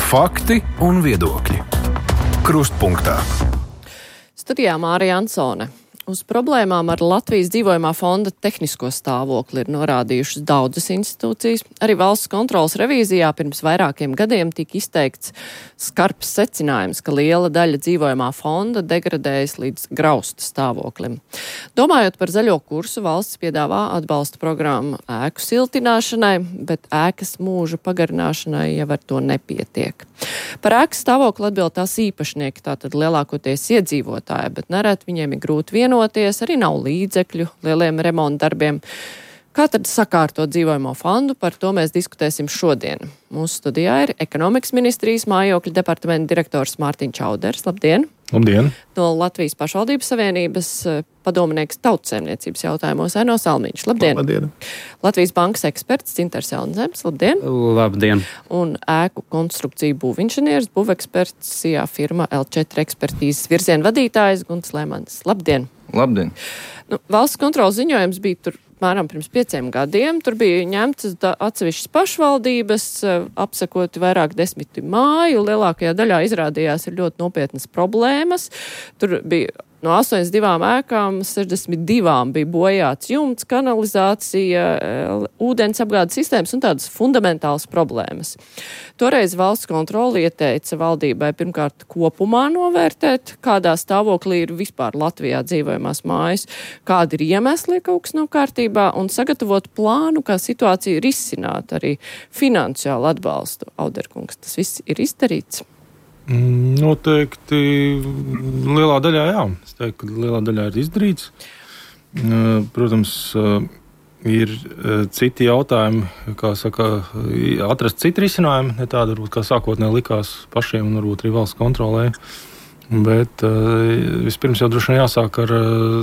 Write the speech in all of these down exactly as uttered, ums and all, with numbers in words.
Fakti un viedokļi. Krustpunktā. Studijā Mārija Ansone. Uz problēmām ar Latvijas dzīvojamā fonda tehnisko stāvokli ir norādījušas daudzas institūcijas. Arī valsts kontrolas revīzijā pirms vairākiem gadiem tika izteikts skarbs secinājums, ka liela daļa dzīvojamā fonda degradējas līdz grausta stāvoklim. Domājot par zaļo kursu, valsts piedāvā atbalsta programmu ēku siltināšanai, bet ēkas mūža pagarināšanai jau ar to nepietiek. Par ēkas stāvokli atbild tās īpašnieki, tātad lielākoties iedzīvotāji, bet nereti viņiem ir grūti vienoties, arī nav līdzekļu lieliem remonta darbiem. Kā tad sakārtot dzīvojamo fondu, par to mēs diskutēsim šodien. Mūsu studijā ir ekonomikas ministrijas mājokļu departamenta direktors Mārtiņš Čauders. Labdien! Labdien! No Latvijas pašvaldības savienības padomnieks tautsēmniecības jautājumos Aino Salmiņš. Labdien! Labdien! Latvijas bankas eksperts Cintars Jaunzems. Labdien! Labdien! Un ēku konstrukciju būvinženieris, būveksperts, S I A firma L četri ekspertīzes virziena vadītājs Gunts Lēmanis. Labdien! Labdien! Nu, valsts kontrolas ziņojums bija tur mēram pirms pieciem gadiem. Tur bija ņemtas atsevišķas pašvaldības, apsakoti vairāk desmiti māju. Lielākajā daļā izrādījās ir ļoti nopietnas problēmas. Tur bija no astoņdesmit divām ēkām, sešdesmit divām bija bojāts jumts, kanalizācija, ūdens apgādes sistēmas un tādas fundamentālas problēmas. Toreiz valsts kontrole ieteica valdībai pirmkārt kopumā novērtēt, kādā stāvoklī ir vispār Latvijā dzīvojamās mājas, kādi ir iemesli, ka kaut kas nav kārtībā, un sagatavot plānu, kā situāciju risināt, arī finansiālu atbalstu. Auderkungs, tas viss ir izdarīts? Noteikti lielā daļā jā. Es teiktu, ka lielā daļā ir izdarīts. Protams, ir citi jautājumi, kā saka, atrast citi risinājumi, ne tāda, varbūt, kā sākotnēji likās pašiem un varbūt arī valsts kontrolē. Bet vispirms jau droši vien jāsāk ar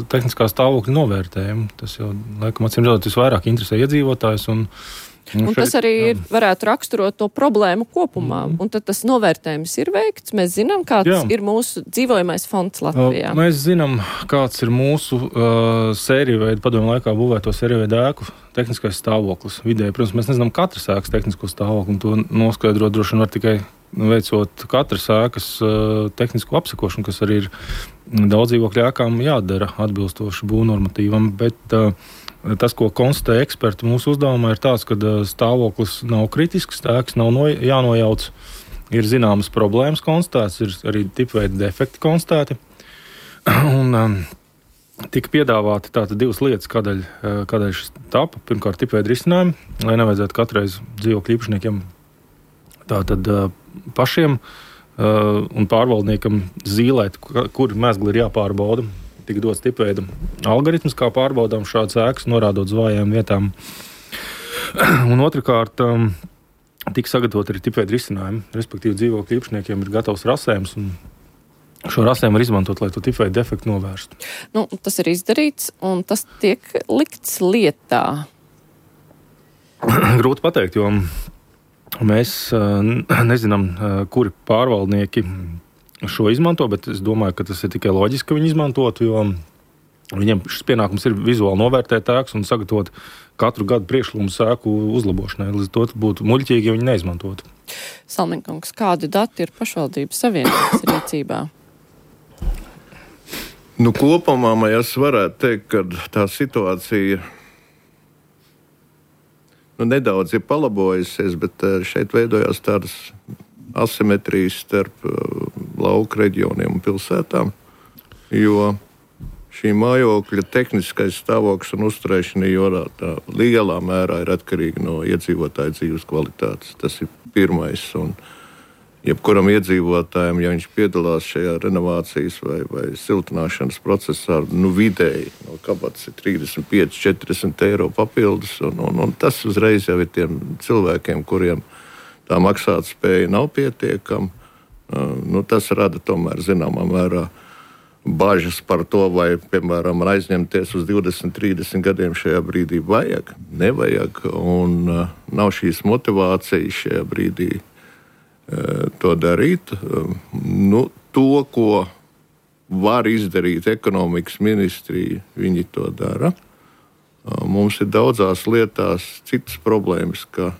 tehniskā stāvokļa novērtējumu. Tas jau, laikam, acīm redzot, visvairāk interesē iedzīvotājs un Un, un tas arī ir, varētu raksturot to problēmu kopumā. Mm. Un tad tas novērtējums ir veikts. Mēs zinām, kāds jā. ir mūsu dzīvojamais fonds Latvijā. Mēs zinām, kāds ir mūsu uh, sēriju veidu, padomju laikā būvēto sēriju veidu ēku tehniskais stāvoklis vidēji. Protams, mēs nezinām katras ēkas tehnisko stāvokli, un to noskaidrot droši vien var tikai veicot katras ēkas uh, tehnisko apsekošanu, kas arī ir daudz dzīvokļu ēkām jādara atbilstoši būvnormatīvam, bet uh, tas, ko konstatē eksperti mūsu uzdevumā, ir tāds, ka stāvoklis nav kritisks, ēkas nav no, jānojauc, ir zināmas problēmas konstatētas, ir arī tipveida defekti konstatēti. Un um, tika piedāvāti tātad divas lietas, kādēļ, kādēļ šis tapa. Pirmkārt, tipveida risinājumi, lai nevajadzētu katreiz dzīvokļu īpašniekiem tātad uh, pašiem uh, un pārvaldniekam zīlēt, kur mezgli ir jāpārbauda. Tika dots tipveida algoritms, kā pārbaudām šādas ēkas, norādot uz vājām vietām. Un otrkārt, um, tika sagatavot arī tipveida risinājumi. Respektīvi, dzīvokļu īpašniekiem ir gatavs rasējums, un šo rasējumu var izmantot, lai to tipveida defektu novērstu. Nu, tas ir izdarīts, un tas tiek likts lietā. Grūti pateikt, jo mēs uh, nezinām, uh, kuri pārvaldnieki šo izmanto, bet es domāju, ka tas ir tikai loģiski, ka viņi izmantotu, jo viņiem šis pienākums ir vizuāli novērtēt ēkas un sagatavot katru gadu priekšlikumu ēku uzlabošanai. Līdz to būtu muļķīgi, ja viņi neizmantotu. Salmiņkungs, kādi dati ir pašvaldības savienības rīcībā? Nu, kopumā es varētu teikt, ka tā situācija nu, nedaudz ir palabojusies, bet šeit veidojās tādas asimetrijas starp uh, lauku reģioniem un pilsētām, jo šī mājokļa tehniskais stāvoklis un uzturēšana jau tā lielā mērā ir atkarīga no iedzīvotāju dzīves kvalitātes. Tas ir pirmais. Un jebkuram iedzīvotājam, ja viņš piedalās šajā renovācijas vai, vai siltināšanas procesā, nu vidēji no kabatas ir trīsdesmit pieci līdz četrdesmit eiro papildus, un, un, un tas uzreiz jau ir tiem cilvēkiem, kuriem tā maksātspēja nav pietiekama. Uh, nu, tas rada tomēr zināmā mērā bažas par to, vai, piemēram, aizņemties uz divdesmit, trīsdesmit gadiem šajā brīdī vajag, nevajag, un uh, nav šīs motivācijas šajā brīdī uh, to darīt. Uh, nu, to, ko var izdarīt ekonomikas ministrija, viņi to dara. Uh, mums ir daudzās lietās citas problēmas, ka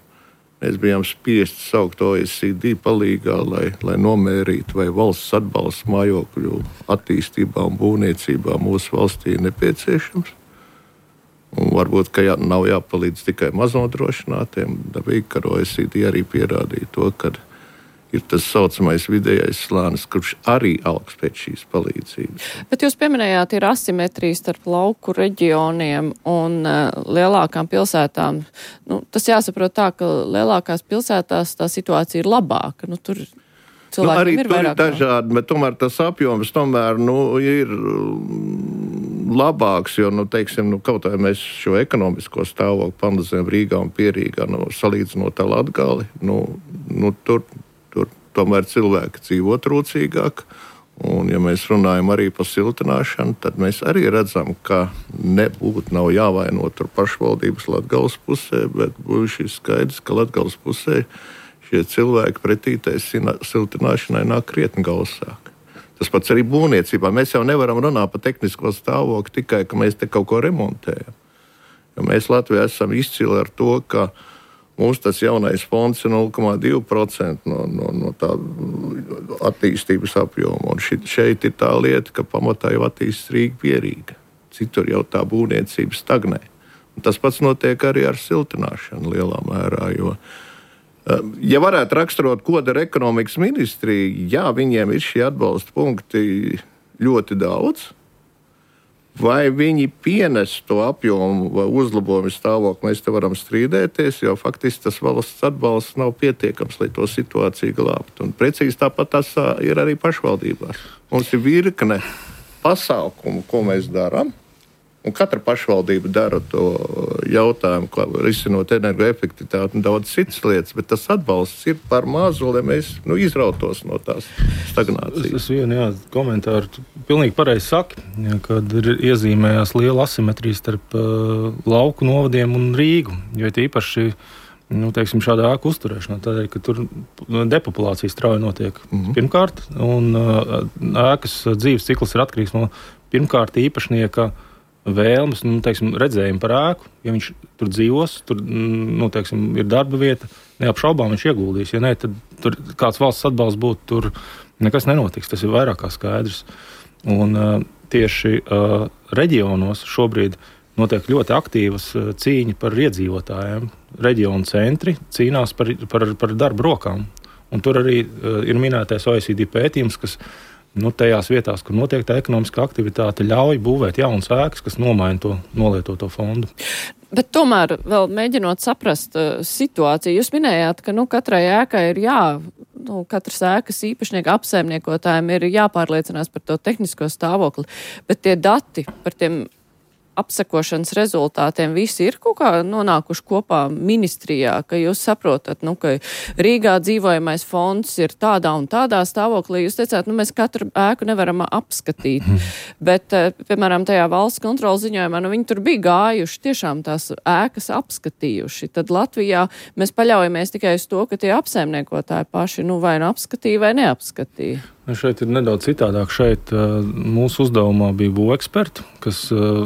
mēs bijām spiesti saukt O E C D palīgā, lai, lai nomērītu, vai valsts atbalsts mājokļu attīstībā un būvniecībā mūsu valstī ir nepieciešams. Un varbūt, ka jā, nav jāpalīdz tikai maznodrošinātiem. Dabīgi, ka O E C D arī pierādīja to, ka ir tas saucamais vidējais slānis, kurš arī augs pēc šīs palīdzības. Bet jūs pieminējāt, ir asimetrija starp lauku reģioniem un uh, lielākām pilsētām. Nu, tas jāsaprot tā, ka lielākās pilsētās tā situācija ir labāka. Nu, tur nu, arī ir tur ir dažādi, bet tomēr tas apjoms tomēr nu, ir labāks, jo, nu, teiksim, nu, kaut kā mēs šo ekonomisko stāvokli panalizējam Rīgā un Pierīgā, nu, salīdzinot ar Latgali, nu, nu, tur, tur tomēr cilvēki dzīvo trūcīgāk. Un, ja mēs runājam arī par siltināšanu, tad mēs arī redzam, ka nebūtu nav jāvainot tur pašvaldības Latgales pusē, bet būtu skaidrs, ka Latgales pusē šie cilvēki pretītai siltināšanai nāk krietni gausāk. Tas pats arī būvniecībā. Mēs jau nevaram runāt par tehnisko stāvokli tikai, ka mēs te kaut ko remontējam. Jo mēs Latvijā esam izcili ar to, ka mums tas jaunais fonds ir nulle komats divi procenti no, no, no tā attīstības apjoma. Un šit, šeit ir tā lieta, ka pamatā jau attīstas Rīga Pierīga. Citur jau tā būvniecība stagnē. Un tas pats notiek arī ar siltināšanu lielā mērā, jo ja varētu raksturot, ko dara ekonomikas ministrija, jā, viņiem ir šie atbalsta punkti ļoti daudz. Vai viņi pienes to apjomu vai uzlabojumu stāvokli, mēs te varam strīdēties, jo faktiski tas valsts atbalsts nav pietiekams, lai to situāciju glābtu. Un precīzi tāpat tas ir arī pašvaldībās. Mums ir virkne pasākumu, ko mēs darām. Un katra pašvaldība dara to jautājumu, kā risinot energoefektivitāti un daudz citas lietas, bet tas atbalsts ir par mazu, lai mēs nu, izrautos no tās stagnācijas. Es, es vienu jā, komentāru pilnīgi pareizi saku, ja, kad ir iezīmējās liela asimetrija starp uh, lauku novadiem un Rīgu, jo īpaši nu, teiksim, šādā ēku uzturēšanā, tādēļ, ka tur depopulācija strauji notiek mm-hmm. pirmkārt, un uh, ēkas dzīves cikls ir atkarīgs no pirmkārt īpašnieka vēlmes, nu, teiksim, redzējumu par ēku. Ja viņš tur dzīvos, tur nu, teiksim, ir darba vieta, neapšaubām viņš ieguldīs. Ja ne, tad tur kāds valsts atbalsts būtu, tur nekas nenotiks. Tas ir vairāk kā skaidrs. Un uh, tieši uh, reģionos šobrīd notiek ļoti aktīvas uh, cīņa par iedzīvotājiem. Reģionu centri cīnās par, par, par darba rokām. Un tur arī uh, ir minētais O E C D pētījums, kas nu, tajās vietās, kur notiek tā ekonomiskā aktivitāte, ļauj būvēt jaunas ēkas, kas nomaina to nolietoto fondu. Bet tomēr vēl mēģinot saprast uh, situāciju, jūs minējāt, ka nu, katrai ēkai ir jā, nu, katras ēkas īpašnieka apsaimniekotājiem ir jāpārliecinās par to tehnisko stāvokli, bet tie dati par tiem apsekošanas rezultātiem visi ir kaut kā nonākuši kopā ministrijā, ka jūs saprotat, nu, ka Rīgā dzīvojamais fonds ir tādā un tādā stāvoklī. Jūs teicāt, nu, mēs katru ēku nevaram apskatīt, mm. bet, piemēram, tajā valsts kontrolas ziņojumā, nu, viņi tur bija gājuši, tiešām tās ēkas apskatījuši. Tad Latvijā mēs paļaujamies tikai uz to, ka tie apsaimniekotāji paši, nu, vai nu apskatīja vai neapskatīja. Šeit ir nedaudz citādāk. Šeit uh, mūsu uzdevumā bija būveksperti, kas uh,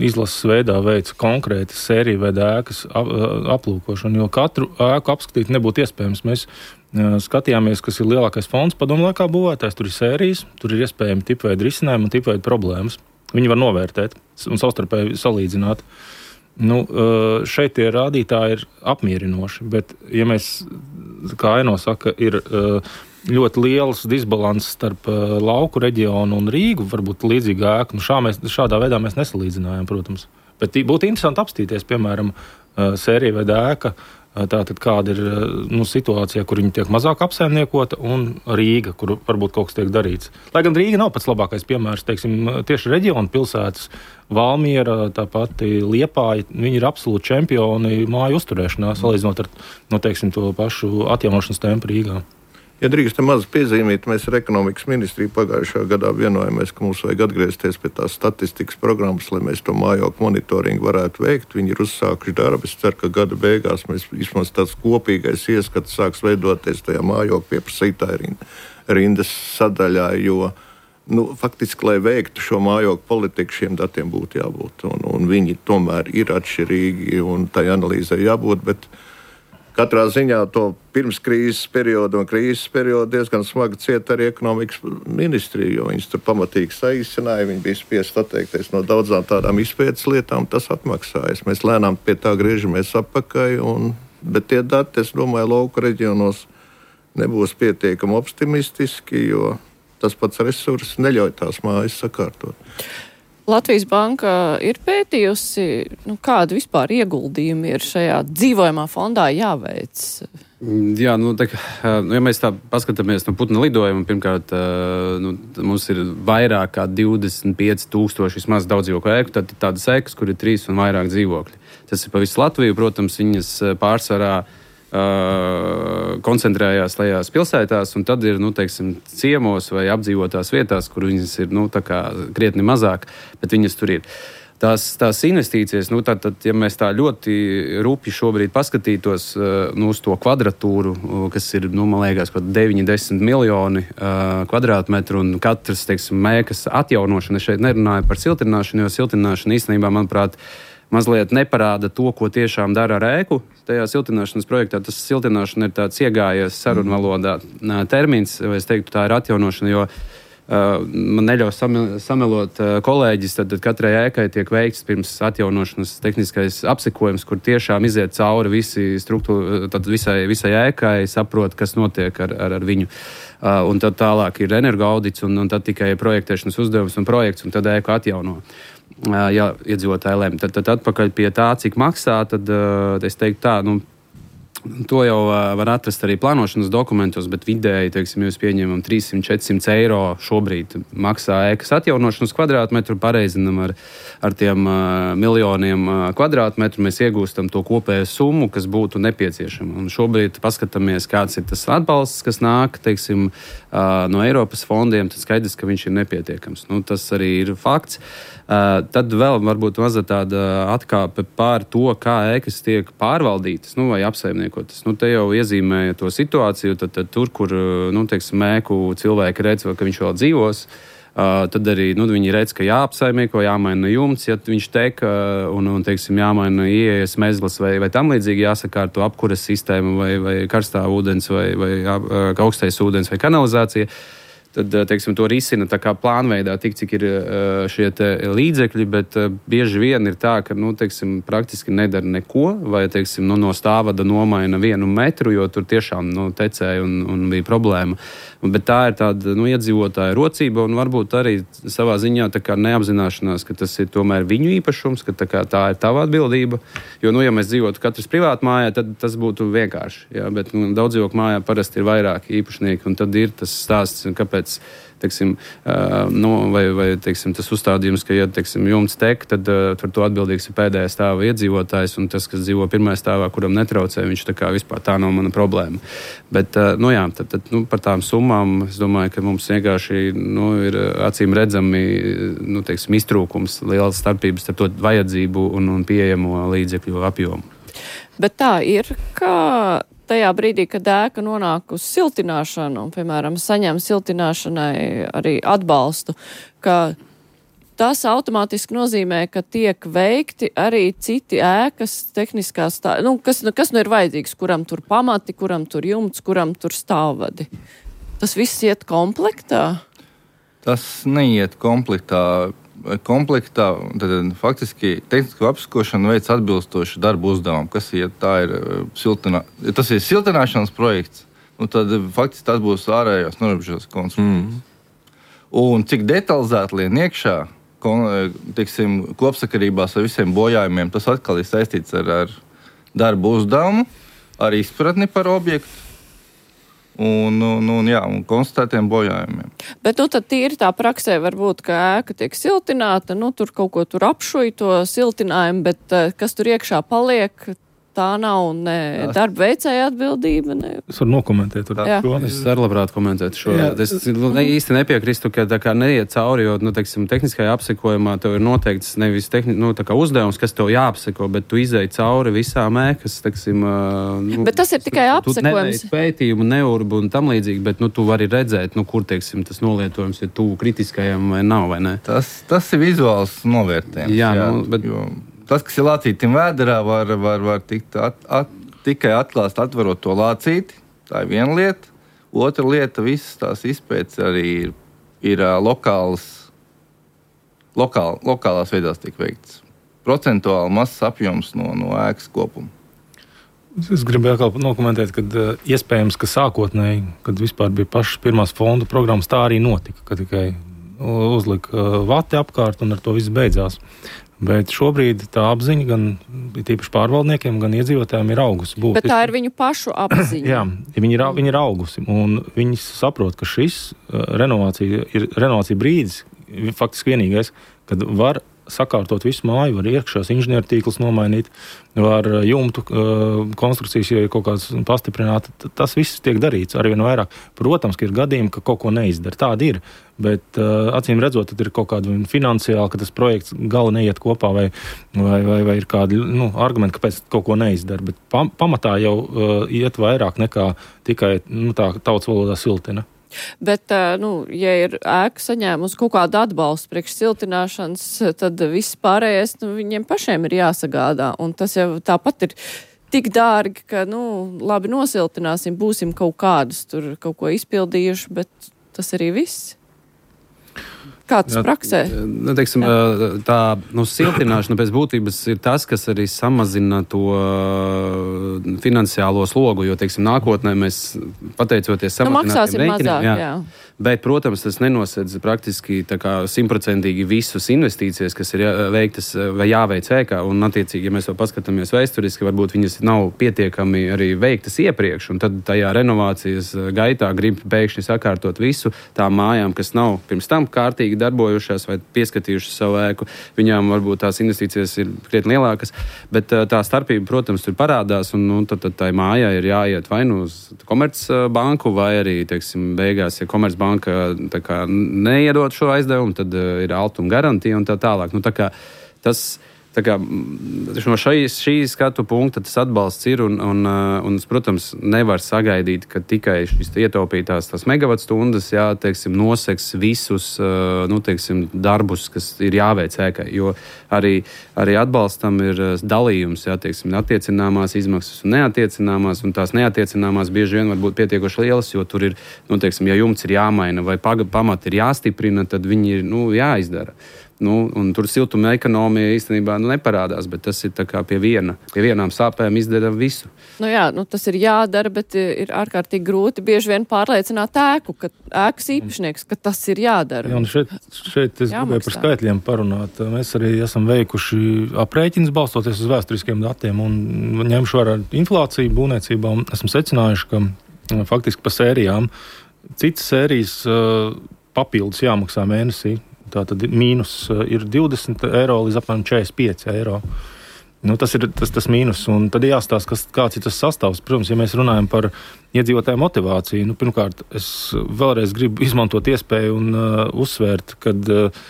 izlases veidā veica konkrētas sēriju veida ēkas ap, uh, aplūkošanu, jo katru ēku apskatīt nebūtu iespējams. Mēs uh, skatījāmies, kas ir lielākais fonds padomu laikā būvētājs, tur ir sērijas, tur ir iespējami tipveida risinājumi un tipveida problēmas. Viņi var novērtēt un savstarpēji salīdzināt. Nu, uh, šeit tie rādītāji ir apmierinoši, bet, ja mēs, kā Aino saka, ir uh, ļoti liels disbalans starp uh, lauku reģionu un Rīgu, varbūt līdzīga ēka. Nu, šā mēs, šādā veidā mēs nesalīdzinājām, protams. Bet būtu interesanti apstīties, piemēram, uh, sērija veida ēka, uh, tātad kāda ir uh, nu, situācija, kur viņi tiek mazāk apsaimniekota, un Rīga, kur varbūt kaut kas tiek darīts. Lai gan Rīga nav pats labākais piemērs, teiksim, tieši reģionu pilsētas, Valmiera, tāpat Liepāja, viņi ir absolūti čempioni māju uzturēšanā, salīdzinot ar, nu, teiksim, to pašu atjaunošanas tempu Rīgā. Ja drīkst maz piezīmīt, mēs ar ekonomikas ministriju pagājušā gadā vienojamies, ka mums vajag atgriezties pie tās statistikas programmas, lai mēs to mājokļu monitoringu varētu veikt. Viņi ir uzsākuši darbu. Es ceru, ka gada beigās mēs vismaz tāds kopīgais ieskats sāks veidoties tajā mājokļu pieprasītāja rindas sadaļā, jo nu, faktiski, lai veiktu šo mājokļu politiku, šiem datiem būtu jābūt. Un, un viņi tomēr ir atšķirīgi un tai analīzē jābūt, bet katrā ziņā to pirms krīzes periodu un krīzes periodu diezgan smagi cieta arī ekonomikas ministrija, jo viņas tur pamatīgi saīsināja, viņi bija spiest atteikties no daudzām tādām izpētes lietām, tas atmaksājas. Mēs lēnām pie tā griežamies apakaļ, un, bet tie dati, es domāju, lauku reģionos nebūs pietiekami optimistiski, jo tas pats resurss neļauj tās mājas sakārtot. Latvijas banka ir pētījusi, nu, kādu vispār ieguldījumi ir šajā dzīvojamā fondā jāveic? Jā, nu, tā, ja mēs tā paskatāmies no putna lidojuma, pirmkārt, nu, mums ir vairāk kā divdesmit pieci tūkstoši vismaz daudzdzīvokļu ēku, tad ir tādas ēkas, kur ir trīs un vairāk dzīvokļi. Tas ir pa visu Latviju, protams, viņas pārsvarā Uh, koncentrējās tajās pilsētās, un tad ir, nu, teiksim, ciemos vai apdzīvotās vietās, kur viņas ir, nu, tā kā krietni mazāk, bet viņas tur ir. Tās, tās investīcijas, nu, tad, tad, ja mēs tā ļoti rūpji šobrīd paskatītos uh, nu, uz to kvadratūru, uh, kas ir, nu, man liekas, kaut deviņi desmit miljoni uh, kvadrātmetru, un katrs, teiksim, mēkas atjaunošana, šeit nerunāju par siltināšanu, jo siltināšana īstenībā, manuprāt, mazliet neparāda to, ko tiešām dara ar ēku. Tajā siltināšanas projektā tas siltināšana ir tāds iegājies sarunvalodā termins, vai es teiktu, tā ir atjaunošana, jo uh, man neļaus samelot uh, kolēģis, tad, tad katrai ēkai tiek veikts pirms atjaunošanas tehniskais apsekojums, kur tiešām iziet cauri visi struktūra, tad visai, visai ēkai, saprot, kas notiek ar, ar, ar viņu. Uh, un tad tālāk ir energoaudits, un, un tad tikai projektēšanas uzdevums un projekts, un tad ēku atjauno. Ja iedzīvotāji lem. Tad, tad atpakaļ pie tā, cik maksā, tad es teiktu tā, nu, to jau var atrast arī plānošanas dokumentos, bet vidēji, teiksim, jūs pieņemam trīssimt četrsimt eiro šobrīd maksā ēkas atjaunošanas kvadrātmetru, pareizinam ar, ar tiem uh, miljoniem uh, kvadrātmetru, mēs iegūstam to kopējo summu, kas būtu nepieciešama. Un šobrīd paskatāmies, kāds ir tas atbalsts, kas nāk, teiksim, uh, no Eiropas fondiem, tad skaidrs, ka viņš ir nepietiekams. Nu, tas arī ir fakts. Uh, tad vēl varbūt mazliet tāda atkāpe pār to, kā ēkas tiek pārvaldītas, nu, vai apsaimniekotas. Nu, te jau iezīmēja to situāciju, tad, tad tur, kur, nu, teiksim, ēku cilvēki redz, ka viņš vēl dzīvos, uh, tad arī, nu, viņi redz, ka jāapsaimnieko, jāmaina jumts, ja viņš tek, uh, un, un, teiksim, jāmaina ieejas mezglas vai, vai tam līdzīgi jāsakārto apkuras sistēma vai, vai karstā ūdens vai, vai uh, augstais ūdens vai kanalizācija. Tad, teiksim, to risina tā kā plānveidā tik, cik ir šie līdzekļi, bet bieži vien ir tā, ka, nu, teiksim, praktiski nedara neko, vai, teiksim, nu, no stāvada nomaina vienu metru, jo tur tiešām, nu, tecēja un, un bija problēma. Bet tā ir tāda, nu, iedzīvotāja rocība un varbūt arī savā ziņā tā kā neapzināšanās, ka tas ir tomēr viņu īpašums, ka tā, kā, tā ir tava atbildība. Jo, nu, ja mēs dzīvotu katrs privāti mājā, tad tas būtu vienkārši. Jā, bet, nu, daudz dzīvokļu mājā parasti ir vairāki īpašnieki, un tad ir tas stāsts, kāpēc, teiksim, uh, nu, vai, vai teiksim, tas uzstādījums, ka, ja, teiksim, jumts tek, tad uh, par to atbildīgs ir pēdējā stāva iedzīvotājs, un tas, kas dzīvo pirmajā stāvā, kuram netraucē, viņš tā kā vispār tā nav mana problēma. Bet, uh, nu jā, tad, tad, nu, par tām summām, es domāju, ka mums vienkārši, nu, ir acīm redzami, nu, teiksim, iztrūkums, liela starpības starp to vajadzību un, un pieejamo līdzekļu apjomu. Bet tā ir, ka tajā brīdī, kad ēka nonāk uz siltināšanu, un, piemēram, saņem siltināšanai arī atbalstu, ka tas automātiski nozīmē, ka tiek veikti arī citi ēkas tehniskās tā, nu, kas, kas nu ir vajadzīgs, kuram tur pamati, kuram tur jumts, kuram tur stāvvadi. Tas viss iet komplektā? Tas neiet komplektā. Komplektā, tad faktiski tehnisko apsakošanu veids atbilstoši darbu uzdevumu, kas ir, tā ir siltinā, ja tas ir siltināšanas projekts, nu tad faktiski tas būs ārējās norobežas konstrukcijas. Mm. Un cik detalizēti lien iekšā, teiksim, kopsakarībās ar visiem bojājumiem, tas atkal ir saistīts ar, ar darbu uzdevumu, ar izpratni par objektu. Un, un, un, jā, un konstatētiem bojājumiem. Bet, nu, tad tīri tā praksē var būt, ka ēka tiek siltināta, nu, tur kaut ko tur apšuj to siltinājumu, bet kas tur iekšā paliek, tā nav ne darba veicēja atbildība. Ne... Es varu nokomentēt tur šo. Es arī labprāt komentētu šo. Jā. Es ne, īsti nepiekrīstu, ka tā kā neiet cauri, jo, nu, teiksim, tehniskajā apsekojumā tev ir noteikts nevis tehni, nu, tā kā uzdevums, kas tev jāapseko, bet tu izej cauri visām ēkas, teiksim... Nu, bet tas ir tikai apsekojums. Tu neveic pētījumu, neurbu un tam līdzīgi, bet, nu, tu vari redzēt, nu, kur, teiksim, tas nolietojums ir tuvu kritiskajam vai nav, vai ne? Tas, tas ir vizuāls novērtējums. Jā, jā, nu, bet... Jo... Tas, kas ir lācītim vēderā, var, var, var tikt at, at, tikai atklāst, atverot to lācīti. Tā ir viena lieta. Otra lieta, visas tās izpētes arī ir, ir uh, lokālas, lokāl, lokālās veidās tiek veikts. Procentuāli mazs apjoms no, no ēkas kopuma. Es gribēju vēl nokomentēt, ka uh, iespējams, ka sākotnēji, kad vispār bija pašas pirmās fondu programmas, tā arī notika, ka tikai uzlika uh, vati apkārt un ar to viss beidzās. Bet šobrīd tā apziņa gan tīpaši pārvaldniekiem, gan iedzīvotājiem ir augusi. Būtiski. Bet tā ir viņu pašu apziņa. Jā, viņi ir, viņi ir augusi, un viņi saprot, ka šis uh, renovācija ir renovācija brīdis, faktiski vienīgais, kad var sakārtot visu māju, var iekšējos inženieru tīklus nomainīt, var jumtu uh, konstrukcijas, ja ir kaut kāds pastiprināta. Tas viss tiek darīts arvien vairāk. Protams, ka ir gadījumi, ka kaut ko neizdara. Tāda ir, bet uh, acīm redzot, tad ir kaut kāda finansiāli, ka tas projekts gala neiet kopā vai, vai, vai, vai ir kādi nu, argumenti, kāpēc kaut ko neizdara. Bet pam, pamatā jau uh, iet vairāk nekā tikai nu, tā tautas valodā siltina. Bet, nu, ja ir ēka saņēmusi kaut kādu atbalstu priekš siltināšanas, tad viss pārējais, nu, viņiem pašiem ir jāsagādā. Un tas jau tāpat ir tik dārgi, ka, nu, labi nosiltināsim, būsim kaut kādus tur kaut ko izpildījuši, bet tas arī viss. Kāds praksē? Nu, teiksim, tā nu, siltināšana pēc būtības ir tas, kas arī samazina to finansiālo slogu, jo, teiksim, nākotnē mēs, pateicoties samazinātiem nu, rēķiniem, jā, jā. Bet, protams, tas nenosedz praktiski tā kā simtprocentīgi visus investīcijas, kas ir veiktas vai jāveic ēkā, un, attiecīgi, ja mēs vēl paskatāmies vēsturiski, varbūt viņas nav pietiekami arī veiktas iepriekš, un tad tajā renovācijas gaitā grib pēkšņi sakārtot visu tām mājām, kas nav pirms tam kārtīgi darbojušās vai pieskatījušas savu ēku. Viņām varbūt tās investīcijas ir krietni lielākas, bet tā starpība, protams, tur parādās, un nu, tad, tad tai mājai ir jāiet vai nu uz Komercbanku, vai arī, teiksim, beigās, ja Komercbanka tā kā neiedot šo aizdevumu, tad uh, ir altuma garantija un tā tālāk. Nu, tā kā tas, tā kā no šīs, šīs skatu punkta tas atbalsts ir un, un, uh, un, protams, nevar sagaidīt, ka tikai šis ietaupītās tās megavatstundas, jā, teiksim, noseks visus, uh, nu, teiksim, darbus, kas ir jāveic ēkai, jo arī, arī atbalstam ir dalījums, jā, teiksim, attiecināmās izmaksas un neattiecināmās, un tās neattiecināmās bieži vien var būt pietiekoši lielas, jo tur ir, nu, teiksim, ja jumts ir jāmaina vai pamati ir jāstiprina, tad viņi ir, nu, jāizdara. Nu, un tur siltuma ekonomija īstenībā nu, neparādās, bet tas ir tā kā pie viena. Pie vienām sāpēm izdara visu. Nu jā, nu tas ir jādara, bet ir ārkārtīgi grūti bieži vien pārliecināt ēku, ka ēkas īpašnieks, ka tas ir jādara. Jā, un šeit, šeit es gribēju par skaitļiem parunāt. Mēs arī esam veikuši aprēķinus balstoties uz vēsturiskiem datiem un ņemšu vērā inflāciju būvniecībā. Esam secinājuši, ka faktiski pa sērijām citas sērijas papildus jāmaksā mēnesī. Tātad mīnus ir divdesmit eiro līdz apmēram četrdesmit pieci eiro. Nu, tas ir tas, tas mīnus, un tad jāstāsta, kas, kāds ir tas sastāvs. Protams, ja mēs runājam par iedzīvotāju motivāciju, nu, pirmkārt, es vēlreiz gribu izmantot iespēju un uh, uzsvērt, kad uh,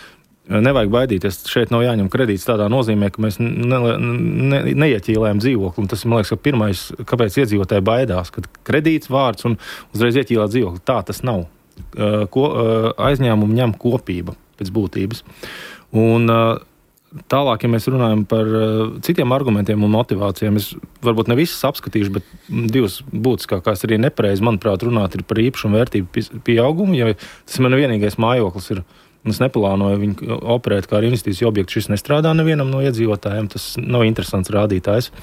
nevajag baidīties. Šeit nav jāņem kredīts tādā nozīmē, ka mēs ne, ne, neieķīlējam dzīvokli. Un tas, man liekas, ka pirmais, kāpēc iedzīvotāji baidās, kad kredīts vārds un uzreiz ieķīlēt dzīvokli. Tā tas nav. Uh, ko, uh, aizņēmumu ņem kopība pēc būtības. Un tālāk, ja mēs runājam par citiem argumentiem un motivācijām, es varbūt ne visas apskatīšu, bet divas būtiskākās arī nepareizi, manuprāt, runāt ir par īpašumu vērtību pieaugumu. Ja tas man vienīgais mājoklis ir, un es neplānoju viņu operēt kā ar investīciju objektu, šis nestrādā nevienam no iedzīvotājiem, tas nav interesants rādītājs.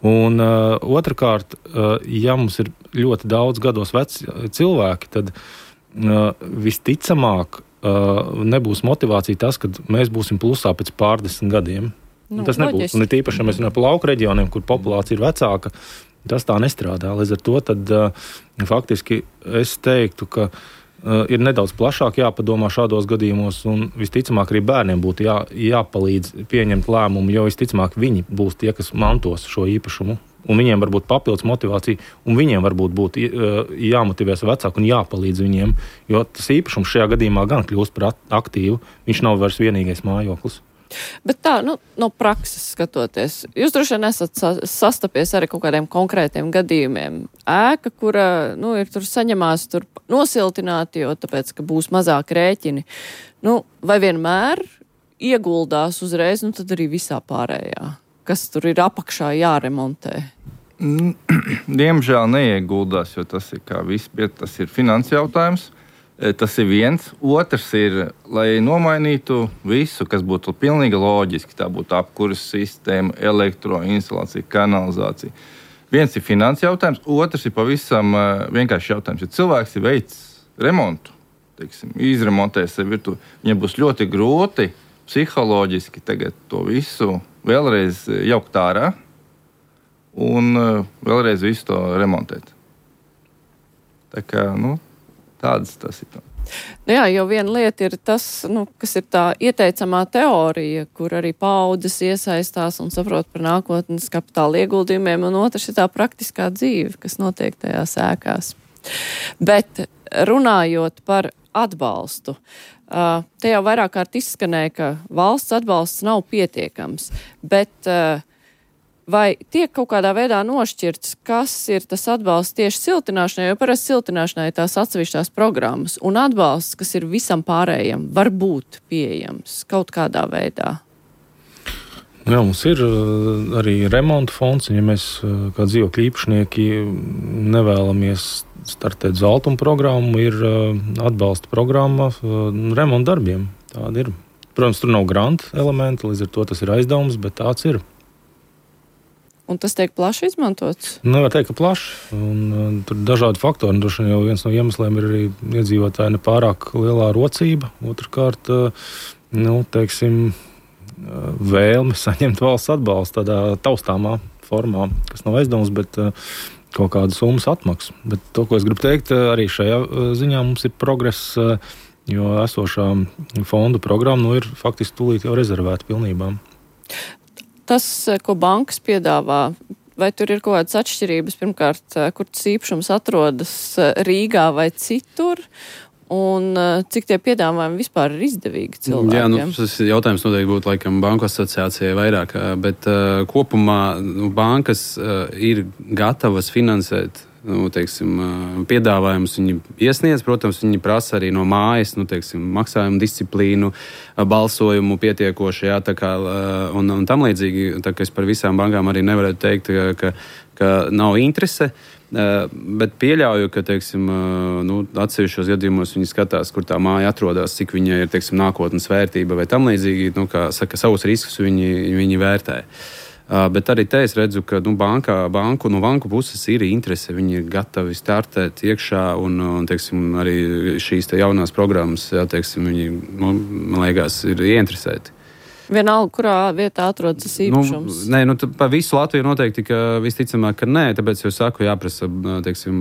Un uh, otrkārt, uh, ja mums ir ļoti daudz gados veci cilvēki, tad uh, visticamāk Uh, nebūs motivācija tas, ka mēs būsim plusā pēc pārdesmit gadiem. Nu, tas nebūs. Un ir tīpaši, ja mēs runājam par lauku reģioniem, kur populācija ir vecāka, tas tā nestrādā. Līdz ar to tad, uh, faktiski es teiktu, ka uh, ir nedaudz plašāk jāpadomā šādos gadījumos, un visticamāk arī bērniem būtu jā, jāpalīdz pieņemt lēmumu, jo visticamāk viņi būs tie, kas mantos šo īpašumu. Un viņiem var būt papildus motivācija, un viņiem varbūt būtu jāmotivēs vecāki un jāpalīdz viņiem, jo tas īpašums šajā gadījumā gan kļūst par aktīvu, viņš nav vairs vienīgais mājoklis. Bet tā, nu, no prakses skatoties, jūs droši vien esat sastapies arī kaut kādiem konkrētiem gadījumiem. Ēka, kura, nu, ir tur saņemās tur nosiltināti, jo tāpēc, ka būs mazāk rēķini, nu, vai vienmēr ieguldās uzreiz, nu, tad arī visā pārējā, kas tur ir apakšā jāremontē? Diemžēl neieguldās, jo tas ir kā viss, bet tas ir finanses jautājums. Tas ir viens. Otrs ir, lai nomainītu visu, kas būtu pilnīgi loģiski. Tā būtu apkuras sistēma, elektroinstalācija, kanalizācija. Viens ir finanses jautājums, otrs ir pavisam vienkārši jautājums. Ja cilvēks ir veids remontu, teiksim, izremontē sevi, viņam būs ļoti grūti psiholoģiski tagad to visu vēlreiz jaukt ārā un vēlreiz visu to remontēt. Tā kā, nu, tādas tas ir. Nu jā, jo viena lieta ir tas, nu, kas ir tā ieteicamā teorija, kur arī paudzes iesaistās un saprot par nākotnes kapitāla ieguldījumiem, un otrs ir tā praktiskā dzīve, kas notiek tajās ēkās. Bet runājot par atbalstu, te jau vairāk kārt izskanēja, ka valsts atbalsts nav pietiekams, bet vai tiek kaut kādā veidā nošķirts, kas ir tas atbalsts tieši siltināšanai, jo parasti siltināšanai ir tās atsevišķās programmas, un atbalsts, kas ir visam pārējiem, var būt pieejams kaut kādā veidā? Jā, mums ir arī remonta fonds, un ja mēs kā dzīvokļu īpašnieki nevēlamies startēt zeltuma programmu, ir atbalsta programma remonta darbiem. Tāda ir. Protams, tur nav granta elementa, līdz ar to tas ir aizdevums, bet tāds ir. Un tas tiek plaši izmantots? Nevar teikt, ka plaši. Un, tur ir dažādi faktori. Droši vien jau viens no iemesliem ir arī iedzīvotāji nepārāk lielā rocība. Otrkārt, nu, teiksim, vēlme saņemt valsts atbalstu tādā taustāmā formā, kas nav aizdevums, bet kaut kāda summas atmaksa. Bet to, ko es gribu teikt, arī šajā ziņā mums ir progress, jo esošā fondu programma nu, ir faktiski tūlīt jau rezervēta pilnībā. Tas, ko bankas piedāvā, vai tur ir kaut kādas atšķirības, pirmkārt, kur tas īpašums atrodas Rīgā vai citur? Un cik tie piedāvājumi vispār ir izdevīgi cilvēkiem? Jā, nu, tas jautājums noteikti būtu laikam Banku asociācijai vairāk, bet uh, kopumā nu, bankas uh, ir gatavas finansēt nu, teiksim, uh, piedāvājumus. Viņi iesniedz, protams, viņi prasa arī no mājas, nu, teiksim, maksājumu disciplīnu, uh, balsojumu pietiekoši, jā, tā kā, uh, un, un tam līdzīgi, tā kā es par visām bankām arī nevarētu teikt, ka, ka nav interese. Uh, bet pieļauju, ka teiksim, uh, nu, atsevišķos gadījumos viņi skatās, kur tā māja atrodas, cik viņai ir teiksim, nākotnes vērtība vai tam līdzīgi, nu, kā saka, savus riskus viņi, viņi vērtē. Uh, bet arī te es redzu, ka nu, bankā, banku, no banku puses ir interese, viņi ir gatavi startēt iekšā un, un teiksim, arī šīs te jaunās programmas, jā, teiksim, viņi, nu, man liekas, ir ieinteresēti. Vienalga, kurā vietā atrodas tas īpašums? Nu, nē, nu, pa visu Latviju noteikti, ka visticamāk, ka nē, tāpēc jau saku jāprasa, teiksim,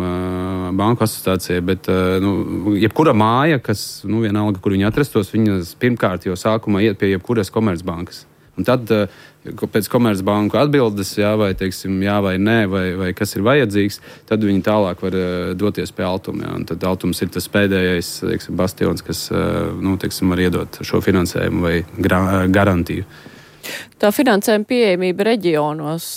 Banku asociācijai, bet, nu, jebkura māja, kas, nu, vienalga, kur viņi atrastos, viņas pirmkārt jau sākumā iet pie jebkuras komercbankas. Un tad pēc komercbanku atbildes, jā, vai, teiksim, jā vai nē, vai, vai kas ir vajadzīgs, tad viņi tālāk var doties pie Altuma. Jā. Un tad Altums ir tas pēdējais, teiksim, bastions, kas, nu, teiksim, var iedot šo finansējumu vai gra- garantiju. Tā finansējuma pieejamība reģionos,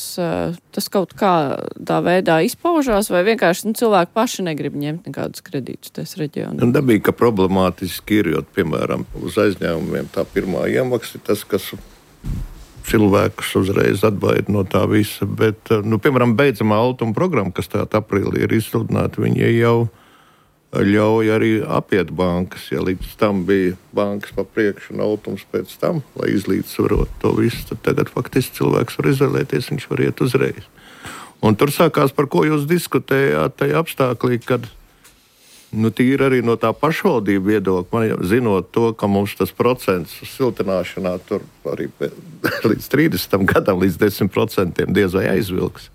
tas kaut kādā veidā izpaužās, vai vienkārši nu, cilvēki paši negrib ņemt nekādus kredītus tais reģionos? Dabīgi, ka problemātiski ir, jo, piemēram, uz aizņēmumiem tā pirmā iemaksa ir tas, kas cilvēkus uzreiz atbaida no tā visa. Bet, nu, piemēram, beidzamā Altuma programma, kas tāda aprīlī ir izsludināta, viņi jau ļauj arī apiet bankas. Ja līdz tam bija bankas pa priekšu un Altums pēc tam, lai izlīdzsvarot to visu, tad tagad faktiski cilvēks var izvēlēties, viņš var iet uzreiz. Un tur sākās, par ko jūs diskutējāt, tajā apstāklī, kad nu, tīri arī no tā pašvaldību viedokļa, man zinot to, ka mums tas procents siltināšanā tur arī līdz trīsdesmitam gadam, līdz desmit procentiem diez vai aizvilks.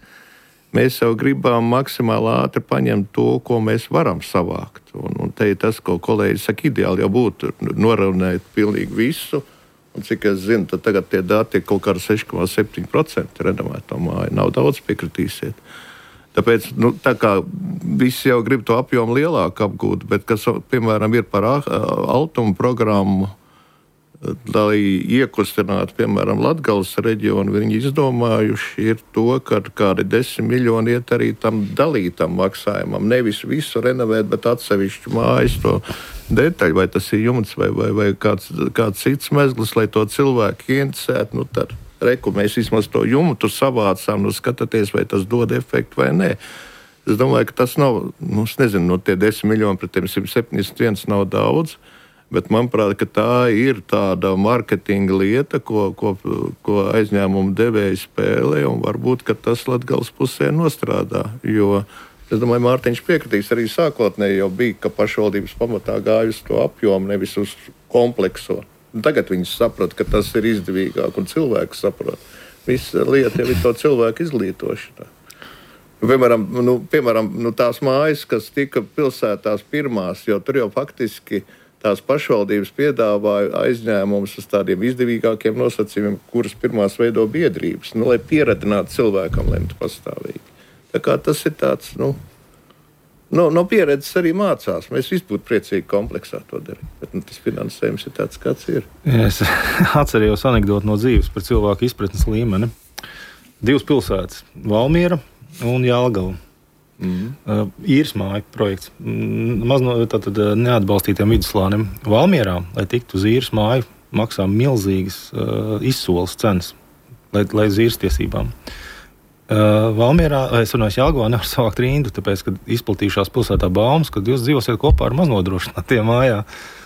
Mēs jau gribam maksimāli ātri paņemt to, ko mēs varam savākt. Un, un te ir tas, ko kolēģis saka, ideāli jau būtu noraunēt pilnīgi visu. Un cik es zinu, tad tagad tie dati ir kaut kādi seši komats septiņi procenti renovēto māju. Nav daudz piekritīsiet. Tāpēc, nu, tā kā visi jau grib to apjomu lielāku apgūt, bet kas, piemēram, ir par Altuma programmu, lai iekustinātu, piemēram, Latgales reģionu, viņi izdomājuši ir to, ka kādi desmit miljoni iet arī tam dalītam maksājumam. Nevis visu renovēt, bet atsevišķu mājas to detaļu, vai tas ir jumts vai, vai, vai kāds, kāds cits mezglis, lai to cilvēku ieinteresētu, nu tad reku, mēs vismaz to jumtu savācām, nu skatāties, vai tas dod efektu vai nē. Es domāju, ka tas nav, nu, es nezinu, no tie desmit miljoni pret tiem simt septiņdesmit viens nav daudz, bet manuprāt, ka tā ir tāda marketinga lieta, ko, ko, ko aizņēmumu devēji spēlē, un varbūt, ka tas Latgales pusē nostrādā, jo es domāju, Mārtiņš piekritīs, arī sākotnēji jau bija, ka pašvaldības pamatā gāja uz to apjomu, nevis uz komplekso. Tagad viņi saprot, ka tas ir izdevīgāk, un cilvēki saprot. Visa lieta jau ir to cilvēku izglītošana. Piemēram, nu, piemēram nu, tās mājas, kas tika pilsētās pirmās, jo tur jau faktiski tās pašvaldības piedāvāja aizņēmumus uz tādiem izdevīgākiem nosacījumiem, kuras pirmās veido biedrības, nu, lai pieradinātu cilvēkam lemt pastāvīgi. Tā kā tas ir tāds, nu, no, no pieredzes arī mācās. Mēs visi būtu priecīgi kompleksā to darīt, bet nu, tas finansējums ir tāds, kāds ir. Ja, es atcerējos anekdotu no dzīves par cilvēku izpratnes līmeni. Divas pilsētas - Valmiera un Jelgava. Mm. Uh, īres māju projekts. Mm, maz no tātad neatbalstītiem vidusslāniem. Valmierā, lai tiktu uz īres māju, maksā milzīgas uh, izsoles cenas, lai, lai uz īres tiesībām. Uh, Valmierā, es runāju, Jelgavā nevar savākt rindu, tāpēc, ka izplatījušās pilsētā baumas, ka jūs dzīvosiet kopā ar maznodrošinātiem mājā.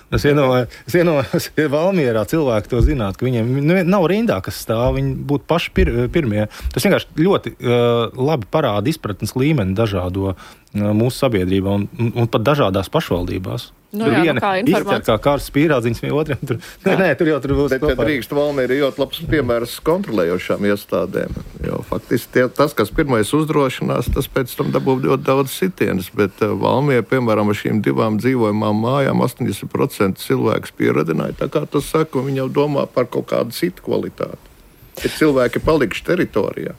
Es iedomājos, es iedomājos, ja Valmierā cilvēki to zinātu, ka viņiem nu, nav rindā, kas stāv, viņi būtu paši pir, pirmie. Tas vienkārši ļoti uh, labi parāda izpratnes līmeni dažādo uh, mūsu sabiedrībā un, un, un pat dažādās pašvaldībās. Nu, tur jā, viena nu kā informācija. Kā kārs spīrādziņas vien otriem. Tur, nē, nē, tur jau tur būs bet, kopā. Bet drīkst Valmiera ir ļoti labs piemērs kontrolējošām iestādēm. Jo faktiski tie, tas, kas pirmais uzdrošinās, tas pēc tam dabū ļoti daudz sitienas. Bet uh, Valmiera, piemēram, ar šīm divām dzīvojumām mājām astoņdesmit procenti cilvēks pieradināja. Tā kā tas saka, viņi jau domā par kaut kādu citu kvalitāti. Ja cilvēki palikuši teritorijā.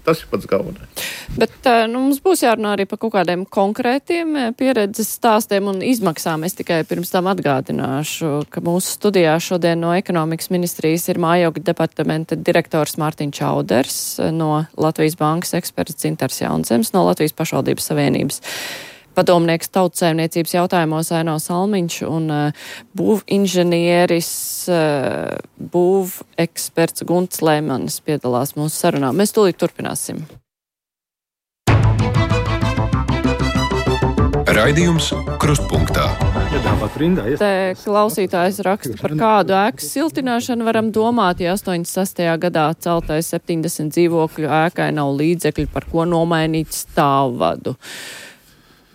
Tas ir pats galvenais. Bet nu, mums būs jārunā arī par kaut kādiem konkrētiem pieredzes stāstiem un izmaksām. Es tikai pirms tam atgādināšu, ka mūsu studijā šodien no ekonomikas ministrijas ir mājokļu departamenta direktors Mārtiņš Čauders, no Latvijas bankas eksperts Dzintars Jaunzems, no Latvijas pašvaldības savienības padomnieks tautsaimniecības jautājumos Aino Salmiņš un uh, būvinženieris, uh, būveksperts Gunts Leimanis piedalās mūsu sarunā. Mēs tūlīt turpināsim. Raidījums Krustpunktā. Te klausītājs raksta, par kādu ēkas siltināšanu varam domāt, ja astoņdesmit sestajā gadā celtais septiņdesmit dzīvokļu ēkai nav līdzekļu, par ko nomainīt stāvvadu.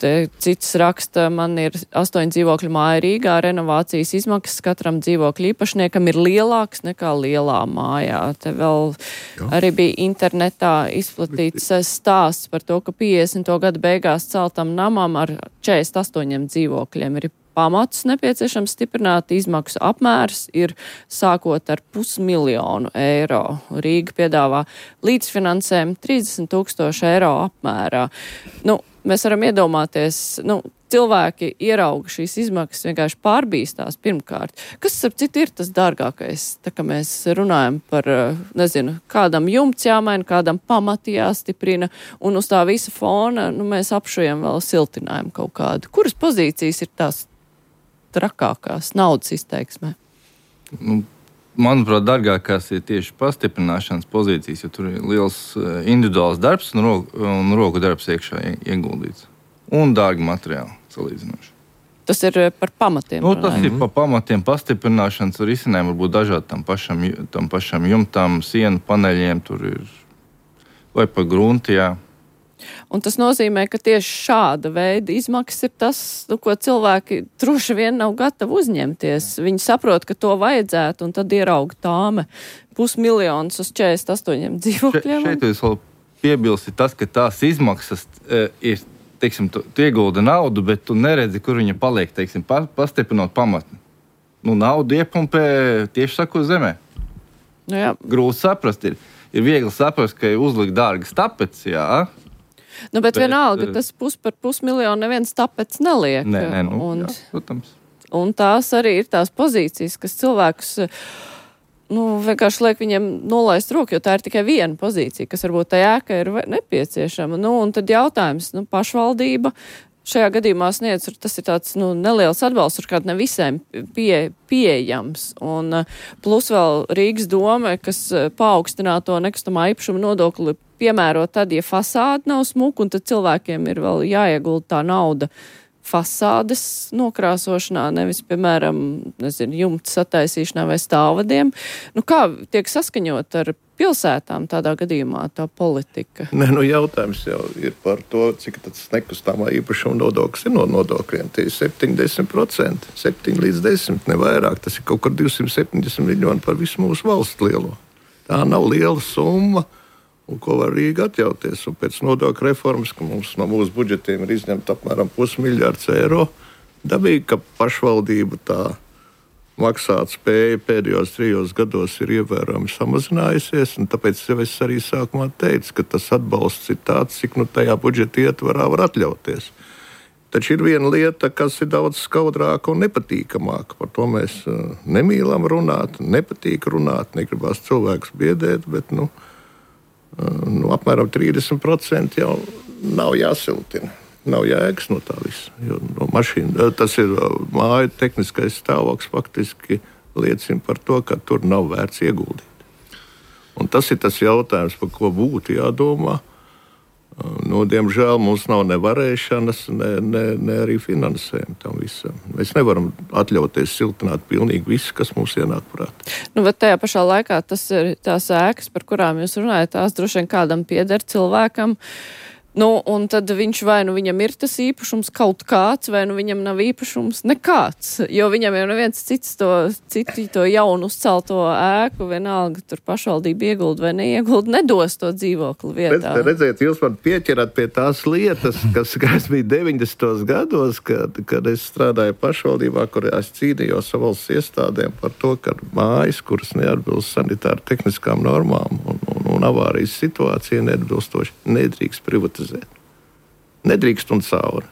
Te cits raksta, man ir astoņu dzīvokļu māja Rīgā, renovācijas izmaksas katram dzīvokļu īpašniekam ir lielāks nekā lielā mājā. Te vēl Jā. arī bija internetā izplatīts stāsts par to, ka piecdesmito gadu beigās celtam namam ar četrdesmit astoņiem dzīvokļiem ir pamats nepieciešams stiprināt, izmaksu apmērs ir sākot ar pusmiljonu eiro. Rīga piedāvā līdzfinansējumu trīsdesmit tūkstoši eiro apmērā. Nu, mēs varam iedomāties, nu, cilvēki ierauga šīs izmaksas, vienkārši pārbīstās pirmkārt. Kas, starp citu, ir tas dārgākais? Tā kā mēs runājam par, nezinu, kādam jumts jāmaina, kādam pamati jāstiprina, un uz tā visa fona, nu, mēs apšujam vēl siltinājumu kaut kādu. Kuras pozīcijas ir tās trakākās naudas izteiksmē? Nu, manuprāt, dārgākās ir tieši pastiprināšanas pozīcijas, jo tur ir liels individuāls darbs un roku, un roku darbs iekšā ieguldīts. Un dārgi materiāli salīdzinoši. Tas ir par pamatiem? Nu, tas ir par pamatiem. Pastiprināšanas risinājumi var būt dažādi tam pašam, tam pašam jumtam, sienu paneļiem, tur ir vai pa grunti, jā. Un tas nozīmē, ka tieši šāda veida izmaksas ir tas, nu, ko cilvēki droši vien nav gatavi uzņemties. Viņi saprot, ka to vajadzētu, un tad ierauga tāme pusmiljonus uz četrdesmit astoņiem dzīvokļiem. Še, šeit jūs vēl piebilsti tas, ka tās izmaksas uh, ir, teiksim, tu, tu ieguldi naudu, bet tu neredzi, kur viņa paliek, teiksim, pa, pastiprinot pamatni. Nu, naudu iepumpē tieši saku zemē. Nu, jā. Grūti saprast ir. Ir viegli saprast, ka uzlikt dārgas tapetes, jā. Nu, bet, bet vienalga, tas pus par pusmiljonu neviens tāpēc neliek. Nē, nē, nu, un, jā, protams. Un tās arī ir tās pozīcijas, kas cilvēkus, nu, vienkārši liek viņiem nolaist roku, jo tā ir tikai viena pozīcija, kas varbūt tajā ēkai ir nepieciešama. Nu, un tad jautājums, nu, pašvaldība šajā gadījumā sniedz, tas ir tāds nu, neliels atbalsts, turklāt ne visiem pie, pieejams. Un plus vēl Rīgas doma, kas paaugstināto nekustamā īpašuma nodokli piemēro tad, ja fasāde nav smuka, un tad cilvēkiem ir vēl jāiegulda tā nauda fasādes nokrāsošanā, nevis, piemēram, nezinu, jumta sataisīšanā vai stāvvadiem. Nu, kā tiek saskaņot ar pilsētām tādā gadījumā tā politika? Nē, nu jautājums jau ir par to, cik tas nekustamā īpašuma nodoklis ir no nodokļiem. Tie ir septiņdesmit procenti, septiņi līdz desmit, ne vairāk. Tas ir kaut kur divsimt septiņdesmit miljoni par visu mūsu valstu lielo. Tā nav liela summa. Un ko var Rīga atļauties. Un pēc nodokļu reformas, ka mums no mūsu budžetiem ir izņemta apmēram pusmiljārds eiro, dabīgi, ka pašvaldība tā maksāt spēja pēdējos trijos gados ir ievērojami samazinājusies, un tāpēc jau es arī sākumā teicu, ka tas atbalsts ir tāds, cik nu tajā budžeta ietvarā var atļauties. Taču ir viena lieta, kas ir daudz skaudrāka un nepatīkamāka. Par to mēs nemīlam runāt, nepatīk runāt, negribās cilvēkus biedēt, bet, nu, Nu, apmēram trīsdesmit procenti jau nav jāsiltina. Nav jēgas no tā visa. Jo no mašīna, tas ir māju tehniskais stāvoklis, faktiski liecina par to, ka tur nav vērts ieguldīt. Un tas ir tas jautājums, par ko būtu jādomā. Nu, diemžēl mums nav ne varēšanas, ne, ne, ne arī finansējuma tam visam. Mēs nevaram atļauties siltināt pilnīgi visu, kas mums ienāk prāt. Nu, bet tajā pašā laikā tas ir tās ēkas, par kurām jūs runājat, tās droši vien kādam pieder cilvēkam. Nu, un tad viņš vai nu viņam ir tas īpašums kaut kāds, vai nu viņam nav īpašums nekāds. Jo viņam jau neviens cits to, citi to jaunu uzcelto ēku, vienalga tur pašvaldība iegulda vai neiegulda, nedos to dzīvokli vietā. Redz, redziet, jūs man pieķerat pie tās lietas, kas, kas bija deviņdesmitos gados, kad, kad es strādāju pašvaldībā, kur es cīnījos ar valsts iestādēm par to, ka mājas, kuras neatbilst sanitāri tehniskām normām un, un, un avārijas situācija neatbilstoši, nedrīkst privatizēt. Nedrīkst un cauri.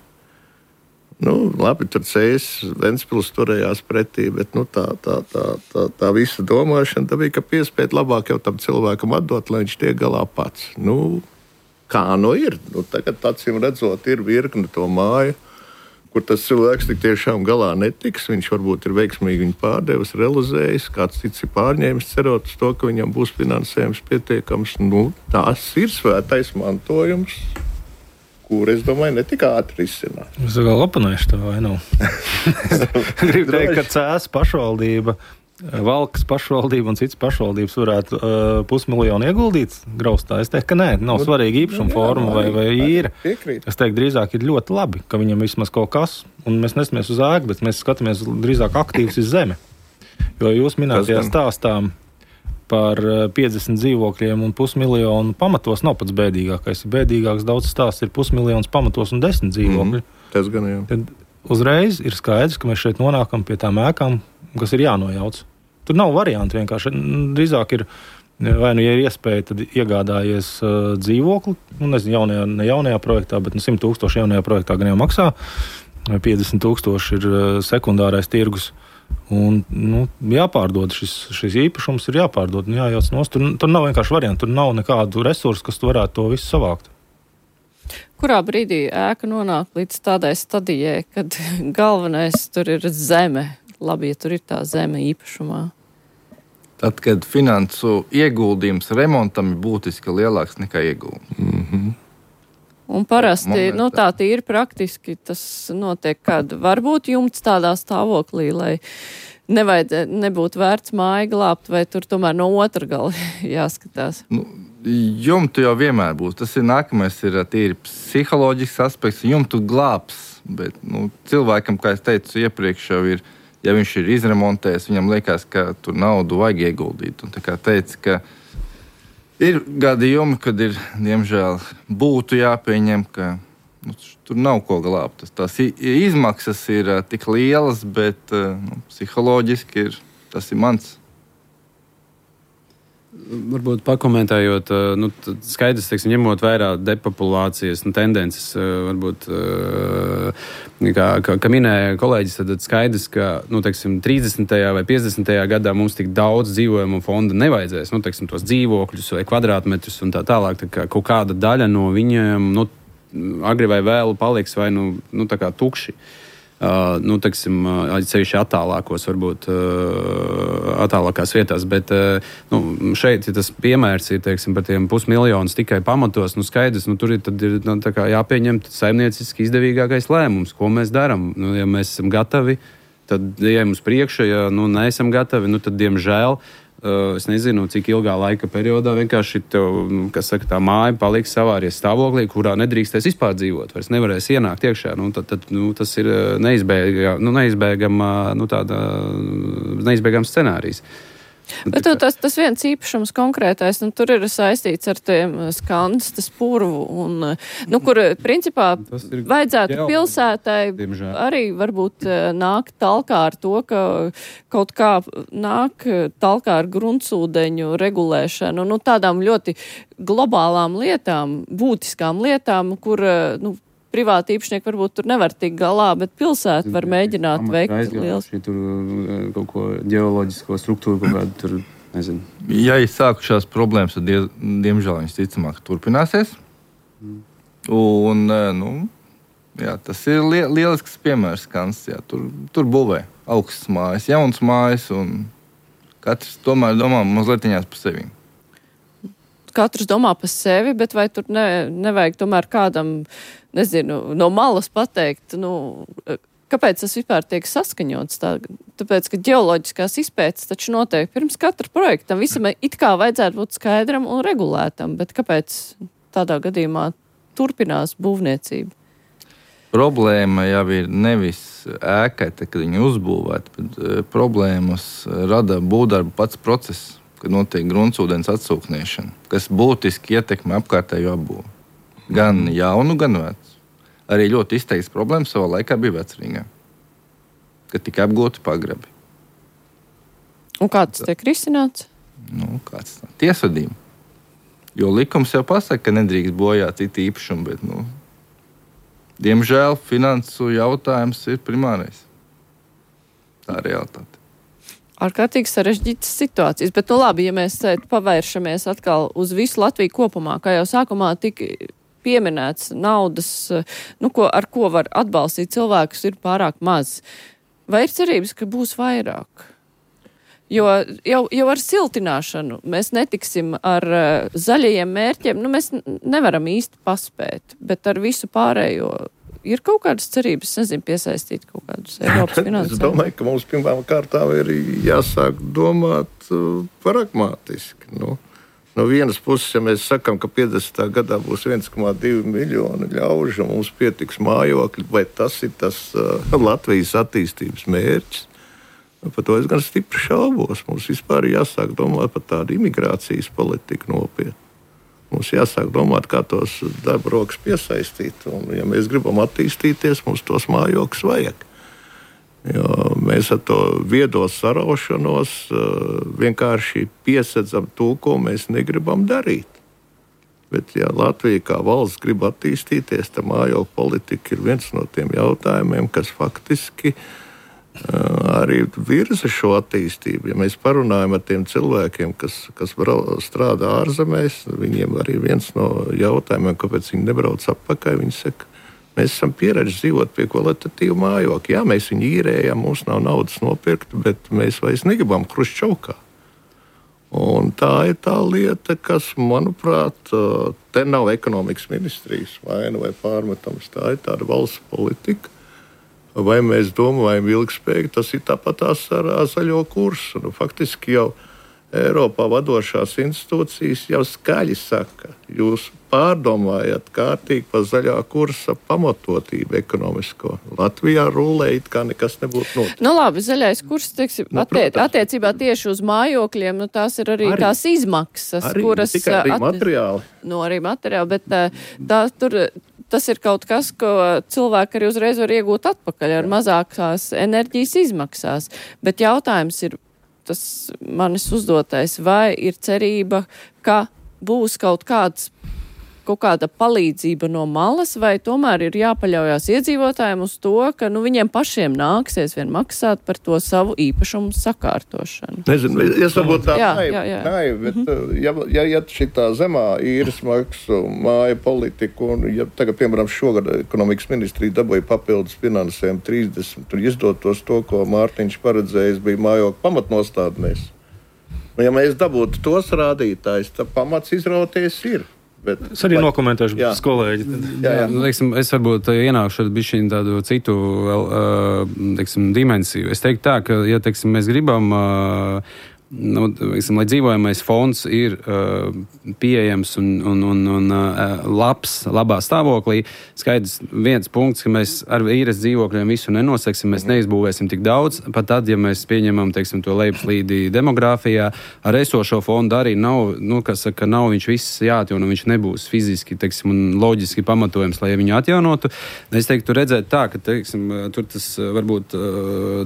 Nu, labi, tur Cēs, Ventspils turējās pretī, bet nu, tā, tā, tā, tā, tā visa domāšana, tā bija, ka piespēt labāk jau tam cilvēkam atdot, lai viņš tiek galā pats. Nu, kā nu ir? Nu, tagad acīm redzot, ir virkne to māju, kur tas cilvēks tik tiešām galā netiks. Viņš varbūt ir veiksmīgi viņu pārdevis, realizējis, kāds cits ir pārņēmis, cerot uz to, ka viņam būs finansējums pietiekams. Nu, tās ir svētais mantojums, kur, es domāju, ne tik ātri izsināt. Es vēl oponēšu to, vai nav? Gribu teikt, ka Cēs pašvaldība, Valkas pašvaldība un citas pašvaldības varētu uh, pusmiljonu ieguldīt graustā. Es teiktu, ka nē, nav nu, svarīgi īpašuma forma vai, vai īra. Piekrīt. Es teiktu, drīzāk ir ļoti labi, ka viņam vismaz kaut kas, un mēs neskatāmies uz ēku, bet mēs skatāmies drīzāk aktīvs uz zemi. Jo jūs minētajā stāstā par piecdesmit dzīvokļiem un pusmiljonu pamatos nav pats bēdīgākais. Bēdīgāks daudz stāsts ir pusmiljons pamatos un desmit dzīvokļi. Mm, tas gan jau. Tad uzreiz ir skaidrs, ka mēs šeit nonākam pie tām ēkām, kas ir jānojauc. Tur nav variantu vienkārši. Drīzāk ir, vai nu, ja ir iespēja, tad iegādājies uh, dzīvokli, nu, nezinu, jaunajā, ne jaunajā projektā, bet nu, simt tūkstoši jaunajā projektā gan jau maksā, vai piecdesmit tūkstoši ir uh, sekundārais tirgus. Un, nu, jāpārdod šis, šis īpašums, ir jāpārdod un jājauc nost. Tur, tur nav vienkārši variantu, tur nav nekādu resursu, kas tu varētu to visu savākt. Kurā brīdī ēka nonāk līdz tādai stadijai, kad galvenais tur ir zeme? Labi, ja tur ir tā zeme īpašumā. Tad, kad finansu ieguldījums remontam ir būtiski lielāks nekā ieguldījums. Mm-hmm. Un parasti, nu tā tīri praktiski tas notiek, kad varbūt jumts tādā stāvoklī, lai nevajad, nebūtu vērts māju glābt, vai tur tomēr no otra gala jāskatās. Nu, jumtu jau vienmēr būs. Tas ir nākamais, ir tīri psiholoģisks aspekts. Jumtu glābs, bet nu, cilvēkam, kā es teicu iepriekš, jau ir, ja viņš ir izremontējis, viņam liekas, ka tur naudu vajag ieguldīt. Un tā kā teica, ka ir gadījumi, kad ir, diemžēl, būtu jāpieņem, ka nu, tur nav ko glābt. Tās izmaksas ir uh, tik lielas, bet uh, nu, psiholoģiski ir, tas ir mans. Varbūt pakomentējot, nu, skaidrs, teiksim, ņemot vērā depopulācijas nu, tendences, varbūt, kā, kā, kā minēja kolēģis, tad skaidrs, ka, nu, teiksim, trīsdesmitajā vai piecdesmitajā gadā mums tik daudz dzīvojumu fonda nevajadzēs, nu, teiksim, tos dzīvokļus vai kvadrātmetrus un tā tālāk, tā kā kaut kāda daļa no viņiem, nu, agri vai vēlu paliks vai nu, nu tā kā tukši. Uh, nu, teiksim, sevišķi attālākos, varbūt uh, attālākās vietās, bet uh, nu, šeit ja tas piemērs ir, teiksim, par tiem pusmiljonus tikai pamatos, nu skaidrs, nu tur ir, tad ir nu, tā kā jāpieņem saimnieciski izdevīgākais lēmums, ko mēs darām. Nu, ja mēs esam gatavi, tad ejam uz priekšu, ja nu, neesam gatavi, nu tad, diemžēl, Uh, es nezinu, cik ilgā laika periodā vienkārši tev, kas saka, tā māja paliks savāries stāvoklī, kurā nedrīkstēs vispār dzīvot, vairs nevarēs ienākt iekšā. Nu, tad, tad, nu, tas ir neizbēga, nu, neizbēgama, nu, tāda, neizbēgams scenārijs. Bet nu, tas, tas viens īpašums konkrētais, nu, tur ir saistīts ar tiem skandstu spurvu, un, nu, kur, principā, vajadzētu jau, pilsētai diemžēl. Arī varbūt nākt talkā ar to, ka kaut kā nāk talkā ar gruntsūdeņu regulēšanu, nu, tādām ļoti globālām lietām, būtiskām lietām, kur, nu, privāti īpašnieki varbūt tur nevar tikt galā, bet pilsēta var mēģināt veikt liels. Tur kaut ko ģeoloģisko struktūru, kaut kādu tur, nezinu. Ja ir sākušās problēmas, tad die, diemžēl viņas ticamāk turpināsies. Mm. Un, nu, jā, tas ir li lielisks piemērs, Kans, jā, tur, tur būvē augstas mājas, jaunas mājas, un katrs tomēr domā mazlietiņās par sevi. Katrs domā par sevi, bet vai tur ne, nevajag tomēr kādam, nezinu, no malas pateikt, nu, kāpēc tas vispār tiek saskaņots? Tā, tāpēc, ka ģeoloģiskās izpētes taču notiek pirms katra projekta. Visam it kā vajadzētu būt skaidram un regulētam, bet kāpēc tādā gadījumā turpinās būvniecība? Problēma jau ir nevis ēkai, kad viņi uzbūvēta, bet problēmas rada būvdarbu pats process, kad notiek gruntsūdens atsūknēšana, kas būtiski ietekmē apkārtējo apbūvi. Gan jaunu, gan vecu. Arī ļoti izteikts problēmas savā laikā bija Vecrīgā, kad tika apgūti pagrabi. Un kā tas tiek risināts? Nu, kāds tā? Tiesvedība. Jo likums jau pasaka, ka nedrīkst bojāt citu īpašumu, bet, nu, diemžēl finansu jautājums ir primārais. Tā ir realitāte. Ārkārtīgi sarežģītas situācijas, bet nu labi, ja mēs pavēršamies atkal uz visu Latviju kopumā, kā jau sākumā tika pieminēts naudas, nu, ko, ar ko var atbalstīt cilvēkus, ir pārāk maz. Vai ir cerības, ka būs vairāk? Jo jau, jau ar siltināšanu mēs netiksim ar uh, zaļajiem mērķiem, nu mēs nevaram īsti paspēt, bet ar visu pārējo ir kaut kādas cerības, nezinu, piesaistīt kaut kādus Eiropas finansējumus? Es domāju, ka mums pirmām kārtām ir jāsāk domāt uh, pragmātiski. Nu, no vienas puses, ja mēs sakam, ka piecdesmitā gadā būs viens komā divi miljoni ļaužu un mums pietiks mājokļi, vai tas ir tas uh, Latvijas attīstības mērķis? Par to es gan stipri šaubos. Mums vispār ir jāsāk domāt par tādu imigrācijas politiku nopietnu. Mums jāsāk domāt, kā tos darba rokas piesaistīt. Un, ja mēs gribam attīstīties, mums tos mājokļus vajag. Jo mēs ar to viedo saraušanos vienkārši piesedzam to, ko mēs negribam darīt. Bet, ja Latvija kā valsts grib attīstīties, tad mājokļu politika ir viens no tiem jautājumiem, kas faktiski arī virza šo attīstību. Ja mēs parunājam ar tiem cilvēkiem, kas, kas strādā ārzemēs, viņiem arī viens no jautājumiem, kāpēc viņi nebrauc atpakaļ, viņi saka, mēs esam pieraduši dzīvot pie kvalitatīvu mājokļa. Jā, mēs viņu īrējam, mums nav naudas nopirkt, bet mēs vairs negribam Hruščovkā. Un tā ir tā lieta, kas, manuprāt, te nav ekonomikas ministrijas vaina vai pārmetams. Tā ir tāda valsts politika. Vai mēs domājam ilgspējīgi, tas ir tāpatās ar zaļo kursu. Nu, faktiski jau Eiropā vadošās institūcijas jau skaļi saka, jūs pārdomājat kārtīgi par zaļā kursa pamatotību ekonomisko. Latvijā rulē it kā nekas nebūtu noticis. Nu labi, zaļais kurs, teiksim, nu, attie attiecībā tieši uz mājokļiem, nu tās ir arī, arī tās izmaksas, arī, kuras... Tikai arī materiāli. Nu, arī materiāli, bet tā tur... Tas ir kaut kas, ko cilvēki arī uzreiz var iegūt atpakaļ ar mazākās enerģijas izmaksās. Bet jautājums ir, tas manis uzdotais, vai ir cerība, ka būs kaut kāds kaut kāda palīdzība no malas, vai tomēr ir jāpaļaujās iedzīvotājiem uz to, ka nu, viņiem pašiem nāksies vien maksāt par to savu īpašumu sakārtošanu? Nezinu, es varbūt tā jā, naivi, jā, jā. naivi, bet mm-hmm. ja, ja iet šitā zemā īres maksu, māja politiku, un ja tagad, piemēram, šogad ekonomikas ministrija dabūja papildus finansējumu trīsdesmit, un izdotos to, ko Mārtiņš paredzējis, bija mājokļu pamatnostādnēs. Ja mēs dabūtu tos rādītājus, tad pamats izrauties ir. Bet, es arī lai... nokomentēšu jā. kolēģi. Jā, jā. Nu, teiksim, es varbūt ienākšu ar bišķiņu tādu citu teiksim, dimensiju. Es teiktu tā, ka, ja teiksim, mēs gribam, nu, teiksim, lai dzīvojamais fonds ir uh, pieejams un, un, un, un uh, labs, labā stāvoklī, skaidrs viens punkts, ka mēs ar īres dzīvokļiem visu nenoseksim, mēs neizbūvēsim tik daudz, pat tad, ja mēs pieņemam, teiksim, to lejupslīdi demogrāfijā, ar esošo fondu arī nav, nu, kas saka, nav viņš viss jāatjauno, viņš nebūs fiziski, teiksim, un loģiski pamatojums, lai viņu atjaunotu. Es teiktu redzēt tā, ka, teiksim, tur tas varbūt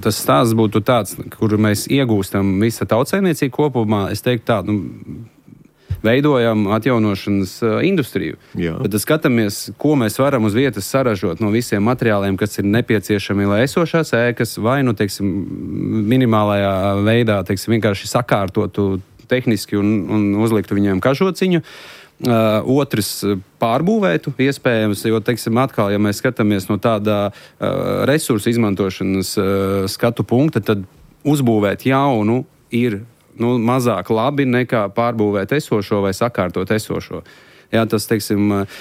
tas stāsts būtu tāds, kur mēs iegūstam visa tautsē kopumā, es teiktu tā, nu, veidojam atjaunošanas uh, industriju. Jā. Tad skatāmies, ko mēs varam uz vietas saražot no visiem materiāliem, kas ir nepieciešami, lai esošās ēkas vai, nu, teiksim, minimālajā veidā, teiksim, vienkārši sakārtotu tehniski un, un uzliktu viņiem kažociņu. Uh, otrs pārbūvētu iespējams, jo, teiksim, atkal, ja mēs skatāmies no tādā uh, resursu izmantošanas uh, skatu punkta, tad uzbūvēt jaunu ir nu, mazāk labi nekā pārbūvēt esošo vai sakārtot esošo. Jā, tas, teiksim, uh,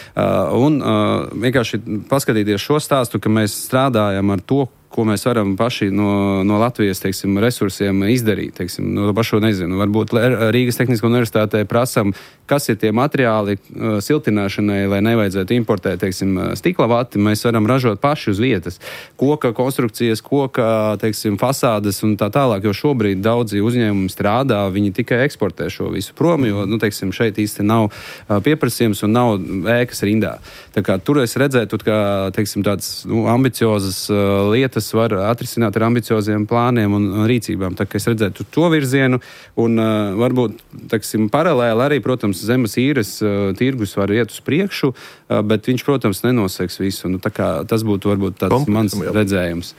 un uh, vienkārši paskatīties šo stāstu, ka mēs strādājam ar to, ko mēs varam paši no, no Latvijas, teiksim, resursiem izdarīt. Teiksim, no pašu nezinu, varbūt Rīgas Tehniskā universitātē prasam, kas ir tie materiāli uh, siltināšanai, lai nevajadzētu importēt, teiksim, stikla vati, mēs varam ražot paši uz vietas. Koka konstrukcijas, koka, teiksim, fasādes un tā tālāk, jo šobrīd daudzi uzņēmumi strādā, viņi tikai eksportē šo visu prom, jo, nu, teiksim, šeit īsti nav uh, pieprasījums un nav ēkas rindā. Tā kā tur es redzētu, ka, teiksim, tāds, nu, ambiciozas uh, lietas var atrisināt ar ambicioziem plāniem un, un rīcībām. Tā kā es redzētu to virzienu un uh, varbūt, teiksim, paralēli arī, protams, zemes īres uh, tirgus var iet uz priekšu, uh, bet viņš, protams, nenoseks visu. Nu, tā kā tas būtu varbūt tāds Kompleksam, mans jā. redzējums.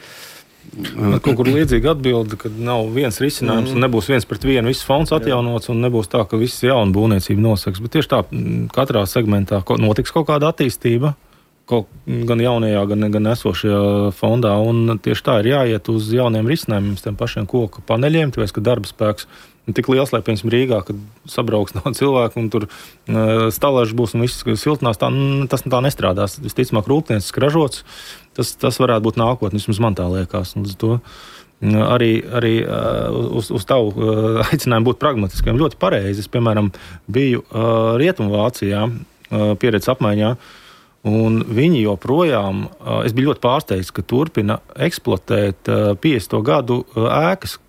Man kaut kur līdzīga atbilde, ka nav viens risinājums mm. un nebūs viens pret vienu, viss fonds atjaunots un nebūs tā, ka viss jauna būvniecība noseks. Bet tieši tā, katrā segmentā notiks kaut kāda attīstība, kaut, gan jaunajā, gan, gan esošajā fondā, un tieši tā ir jāiet uz jauniem risinājumiem, tiem pašiem koku paneļiem, tāpēc, ka darba spēks tik liels, lai, piemēram, Rīgā, kad sabrauks no cilvēku un tur uh, stalēži būs un viss siltinās, tā, tas tā nestrādās. Visticamāk, rūpnieciski ražots, tas, tas varētu būt nākotnē, vismaz man tā liekas. Un līdz to arī, arī uh, uz, uz tavu uh, aicinājumu būt pragmatiskiem ļoti pareizi. Es, piemēram, biju uh, Rietumvācijā uh, pieredzes apmaiņā, un viņi joprojām, es biju ļoti pārsteigts, ka turpina eksploatēt piecdesmito gadu ēkas